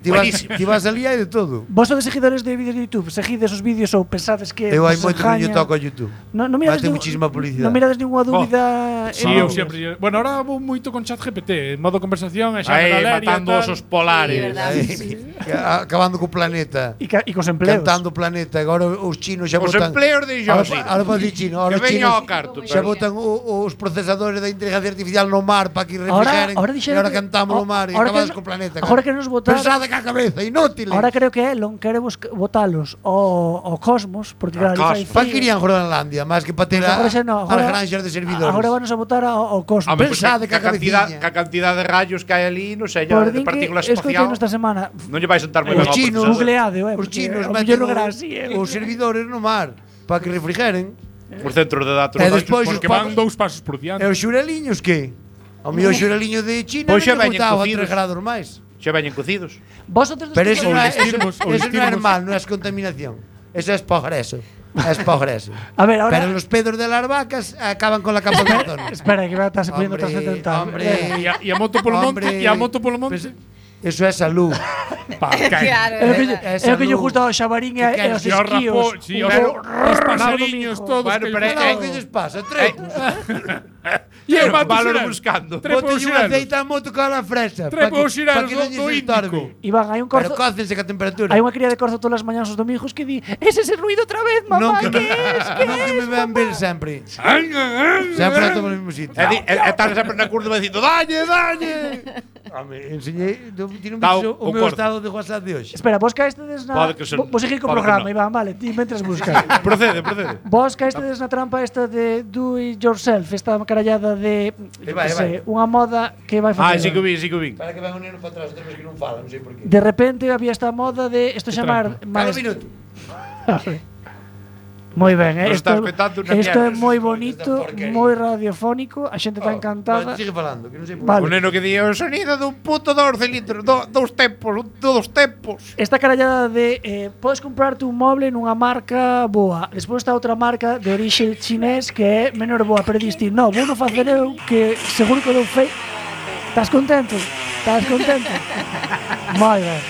Ti vas, buenísimo. ti vas ali hai de todo. Vos sodes seguidores de vídeos de YouTube, seguides os vídeos ou pensades que Eu hai vos moito que non lle engañan? toco a YouTube. Non mirades Vai ter nin- muchísima publicidade. Non mirades ninguna dúbida. Sí, en eu vídeos? sempre. Bueno, ahora vou moito con ChatGPT, en modo conversación, e xa Aí, me da leria, matando tal. osos polares. Sí, verdad. Acabando co planeta. E cos empleos. Cantando o planeta. Agora os chinos xa Os botan. empleos de Josi. Ahora para dicir chino. Ahora Que os veña chinos ao carto. xa pero- botan os procesadores da inteligencia artificial no mar para que refrigeren. Ahora e dixeron ahora que- cantamos no mar e ahora acabades que- co planeta. ahora que nos botar- Pensade ca cabeza, inútiles. Ahora creo que Elon quere botalos ao cosmos, porque claro, ali fai Pa que frío. irían Groenlandia, máis que para ter Pues agora xa no, as granxas de servidores. Agora vanos a botar ao cosmos. Home, Pensade ca ca cantidad, cabeciña. ca cantidad de rayos que hai ali, non sei, Por de din que partículas escoitei espacial. esta semana. Non lle vai sentar moi Os ben ao chinos, procesador. Googleado, Os porque chinos ao meten mellor non era así, os servidores no mar para que refrigeren. Os centros de datos. E despois os Porque van 2 pasos por E diante. os xureliños que? O mío xureliño de China Pois xa non veñen botaba a cocidos. 3 grados máis. Xa veñen cocidos. Vos outros dos Pero que eso Ou non é, vestirmos, ou eso non é vestirmos. mal, non é contaminación. Eso es progreso. Es progreso. A ver, ahora Pero los pedos de las vacas acaban con la capa de cartón. espera, que va a estar poniendo Hombre, trascendental. hombre. E a moto polo monte, Hombre, e a moto polo monte. pues, eso é salud. Pa, cae. Claro, É o que verdad. é o que lle gusta ao xabarín e Que aos E os esquíos. rapos, sí, os pasariños todos. Bueno, que- pero Claro, que lles pasa? Trepos. E eu mato Váloro xirel. buscando. Trepo Bote os un xirelos. aceite a moto con a fresa. Trepo os xirelos que non do lles Índico. estorbe. Iván, hai un Pero corzo. cócense que a temperatura. Hai unha cría de corzo todas as mañás os domingos que di: "Ese é ese ruido outra vez, Non mamá, que que es? Que non que me es?" vean ver sempre. Sempre a todo no mesmo sitio. Estás sempre na curva dicindo dalle, dalle. Home, enseñei, tiene un Tá, bicho o o meu corzo. estado de WhatsApp de hoxe. Espera, vos caestedes na Pode que son- vos seguir co pode que programa, no. Iván, vale, ti mentras buscas. Procede. Vos caestedes na trampa esta de do it yourself, esta carallada de vai, non sei, unha moda que vai Ah, facer. sí que o vi. Para que ven un neno para atrás, outra vez que non fala, non sei por qué. De repente había esta moda de isto chamar Cada minuto. Moi ben, Nos isto, estás petando unha isto é mierda. moi bonito, Esta porquería. moi radiofónico, a xente está encantada. Sigue falando, que non sei por Vale. O neno que di o sonido dun puto 12 litros, dous tempos. Esta carallada de podes comprarte un moble nunha marca boa. Despois está outra marca de orixe chinés que é menor boa, pero diste, no, vou non facer eu que seguro que dou fei. Estás contento? Estás contento? Moi ben.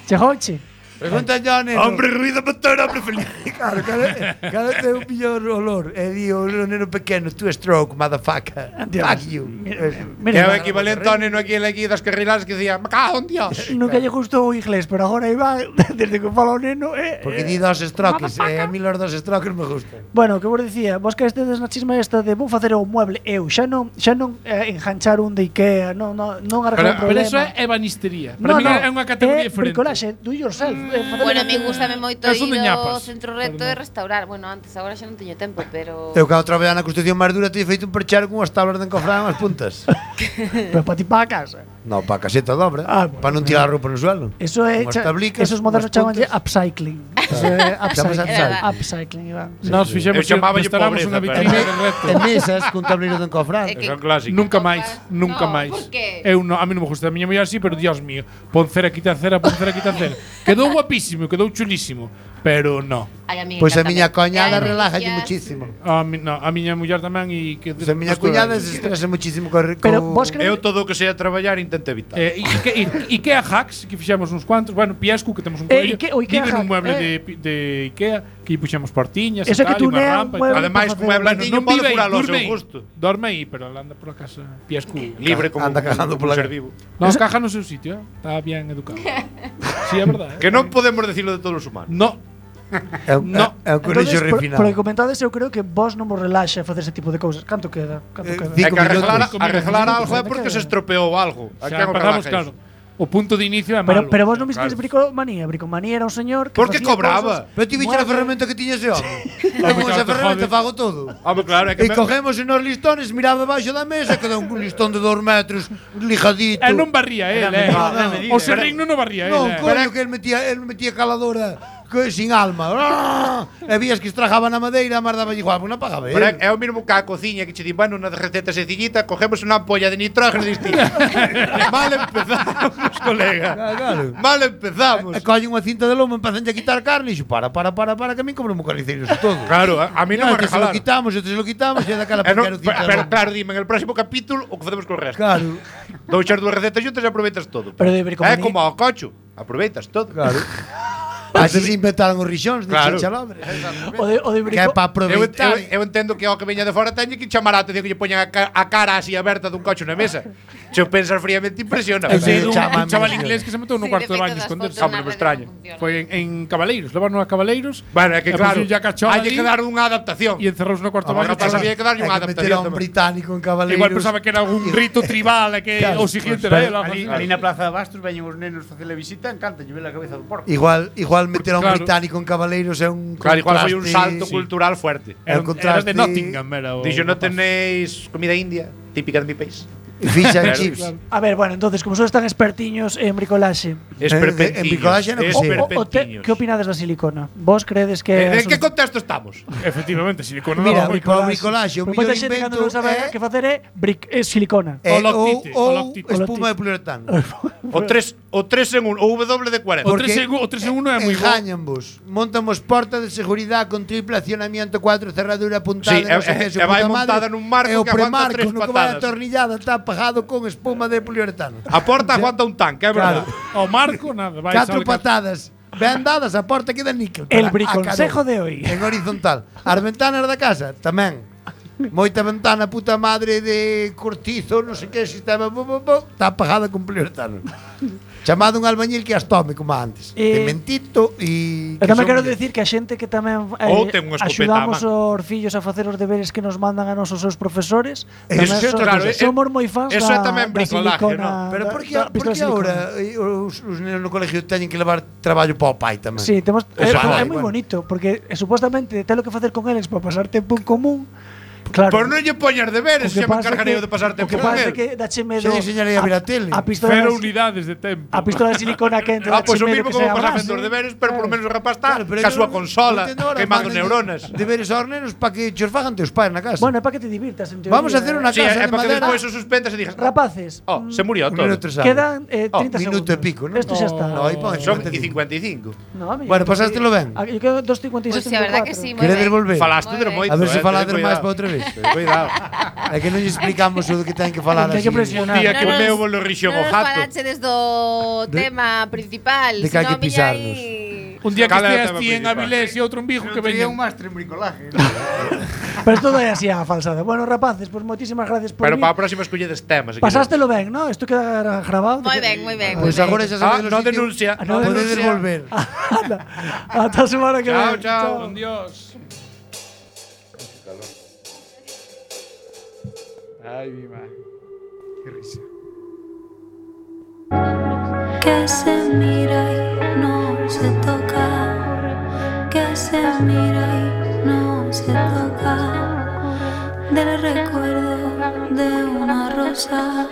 Chegouche? Pregunta yo, neno. Hombre ruido motor, hombre feliz. Claro, cada ten un millor olor. E di o neno pequeno, tú stroke, motherfucker. Dios. Fuck you. É o equivalente ao neno aquí das carriladas que dicía, me cago en Dios. Nunca lle gustou o inglés, pero agora Iván, desde que fala o neno, Porque di dos strokes, e a mí los dos strokes me gustan. Bueno, que vos dicía, vos que estedes na chisma esta de vou facer o mueble eu, xa non enganchar un de Ikea, non arreglar Pero o problema. eso é ebanistería. Para mí é unha categoría diferente. Bricolaxe, do yourself. Bueno, a mí gustame moito Eso de ir ao ñapas. centro reto e restaurar. Bueno, antes, agora xa non teño tempo, pero... Eu que outra vez na construcción máis dura teño feito un perchero con as tablas de encofrar as puntas. Pero para ti para a casa. No, para a caseta dobra, Ah, bueno. para non tirar a roupa no suelo. Eso é, Unhas tablicas, esos modernos unhas chamanlle puntas. upcycling. Eso é Chamas upcycling. upcycling. Iván. Nós fixemos Eu chamáballe instalamos unha pobreza, vitrina pero- de reto. En mesas con tablero de encofrar. É que- Son clásicos. Nunca máis, nunca No, máis. por qué? Eu no, a mí non me gusta, a miña muller así, pero Dios mío, pon cera, quita cera, pon cera, quita cera. Quedou guapísimo, quedou chulísimo, pero no. Ai, a mí Pois a encántame. miña coñada E hai relajalle noticias- muchísimo. A miña muller tamén e que Pois a miña cuñada se estresa muchísimo co Pero vos Eu todo o que sea traballar intento evitar. Ikea Hacks, que fixemos uns cuantos, bueno, Piescu, que temos un coello, o Ikea vive Hack, nun mueble de Ikea, que puxemos portiñas, Eso e que tal, e unha tunea un rampa e mueble tal. Ademais, para como é facer- blandiño, Non pode vive aí, curalo ao dorme seu aí. gusto. Dorme aí, pero ela anda pola casa Piescu. Libre como Anda cagando pola ser casa. vivo. Non, caja no seu sitio, está bien educado. Sí, é verdade. Que non podemos decirlo de todos os humanos. No, É un, No. é un colexo Entonces, refinado. por que comentades, eu creo que vos non vos relaxa facer ese tipo de cousas. Canto queda? Canto queda? É que arreglar, minutos. arreglar algo é Minutos. porque se estropeou algo. A xa quen o empezamos, relaja claro. iso? O punto de inicio é Pero, malo. pero vos non visteis Claro. Bricomanía. Bricomanía era un señor que Porque facía cobraba. cousas- Pero ti viches a Muebles. ferramenta que tiña ese home. Eu con claro, esa te ferramenta jode. fago todo. Home, claro, é que E cogemos nos listones, miraba debaixo da mesa, cada un listón de 2 metros, lijadito. E non barría él, O serrín non o barría Non, él, coño, que el metía caladora sin alma. E vías que estrajaba na madeira, mas daba igual, porque non pagaba Pero él. é o mesmo que a cociña que che di, bueno, unha receta sencillita, cogemos unha ampolla de nitrógeno e diste. Mal empezamos, colega. Claro. Mal empezamos. E collen unha cinta de lomo, empezan a quitar carne e dixo, para, que a min cobro un carniceiros e todo. Claro, a mí non me Este se lo regalaron. quitamos, este se lo quitamos, e daquela E non- pequena cinta de pero lomo. claro, dime, en el próximo capítulo o que facemos con o resto. Claro, Dou xas dúas recetas xuntas e aproveitas todo. Pero de É bricomanía- como ao cocho, aproveitas todo. claro. Así se inventaron os rixóns de Claro. chalabre. O de Que é para Eu, aproveitar. eu entendo que ao que veña de fora teñe que chamar a atención que lle poñan a cara así aberta dun cocho na mesa. Se o pensas fríamente impresiona. Eu sei dun Chama a chaval mí, inglés que se meteu no Sí, cuarto de de feito, baño das esconderse. fotos Hombre, na me rede extraño. non funcionan. Foi en Cabaleiros, levaron a Cabaleiros. Bueno, é que e claro, puxo ya cachola hai que ali dar unha adaptación. e encerrouse no cuarto de Agora baño. pasa chama- que hai que darlle unha Hai que meter a adaptación. un tamén. británico en Cabaleiros. Igual pensaba que era algún rito tribal e que Claro, o siguiente era ela. Ali na Plaza de Bastos veñen os nenos facele visita, encanta lle ver a cabeza do porco. Igual meter a un Claro. británico en Cabaleiros é un Claro, igual foi un contraste. salto cultural fuerte. É un Era de contraste. Nottingham, era o Dixo, non rapaz. tenéis comida india típica de mi país. Ficha en Claro, chips. A ver, bueno, entonces, como sois tan expertiños en bricolaxe, Esperpentiños. en bricolaxe non o, Sí. que opinades da silicona? Vos credes que En que contexto estamos? Efectivamente, silicona Mira, non. para o bricolaxe, o Pero mellor moita xente cando invento non sabe é que facer é silicona. é O loctite, o ou loctite. espuma de poliuretano. O 3 en 1, o W de 40. O 3 en 1 é moi bo. Engañanvos. Montamos porta de seguridade con triple accionamiento, 4 cerradura apuntada, Sí, non sei que, e vai montada nun marco e o que aguanta premarco tres no que vai patadas. atornillada está pagado con espuma de poliuretano. A porta aguanta un tanque, é verdade. O marco, nada. Vai, 4 sale patadas. Ben dadas, a porta queda níquel. El Para a briconsejo calor. de hoy. En horizontal. As ventanas da casa tamén. moita ventana puta madre de cortizo, non sei que sistema, está apagada con poliuretano. Chamado un albañil que as tome como antes. Cementito e tamén quero decir que a xente que tamén Ou ten unha escopeta axudamos á os fillos a facer os deberes que nos mandan a nosos seus profesores, Eso tamén claro, somos moi fans eso é tamén da bricolaje, silicona, Pero por que da pistola de agora silicona. os nenos no colegio teñen que levar traballo para o pai tamén? Sí, temos, Eso é vai, moi bueno. bonito, porque supostamente ten lo que facer con eles para pasar tempo en común. Claro. Por non lle poñas deberes, xa me encargarei de pasar tempo O que con pasa é él. que dache medo Xa enseñarei a ver a tele. a pistola Cero de- unidades de tempo. a pistola de silicona que entra Pois o dache medo mismo que como se pasar abrase. facendo os deberes, pero polo menos o rapaz está Claro, pero ca eu súa non consola, entendo ahora, queimando mándanlle neuronas. Deberes aos nenos para que chos fagan teus pais na casa. Bueno, é para que te divirtas en teoría. Vamos a hacer una Sí, casa é de para que madera. despois o suspendas e digas, Rapaces, oh, se murió Un todo. minuto e sale. quedan 30 minuto segundos. e pico, ¿no? Esto xa está. No, aí pon Son 55. 55. No, Bueno, pasástelo ben. Yo quedo 2.56. Pois sí, a verdad que sí, moi Queredes ben. volver? Falaste de Moi moito. A ver se ten falades máis cuidado. para outra vez. Ten Cuidado. É que non lle explicamos o que ten que falar Ten así. que presionar. Día que o Non meu nos- bolo rixón o non nos jato. falachedes do tema principal. de que hai senón que pisarnos. viña aí- Un día que Cal é o esteas tema ti en principal? Avilés e outro en Vigo que Tería veñan. un máster en bricolaje. Pero todo é así a falsada. Bueno, rapaces, pues moitísimas gracias por Pero vir. para a próxima escolledes temas. Pasástelo ben, ¿no? Isto queda grabado. Moi ben, moi ben. Pois moi ben. agora xa Ah, sabedes no denuncia. no Podedes denuncia. volver. Ata a semana que Chao, ven. chao. Con Dios. Ay, mi madre. Qué risa. Que se mira y no se toca, que se mira y no se toca, del recuerdo de una rosa,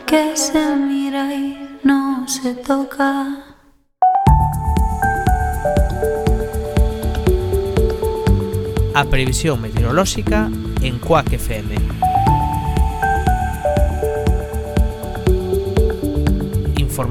que se mira y no se toca. A previsión meteorolóxica en Quack FM.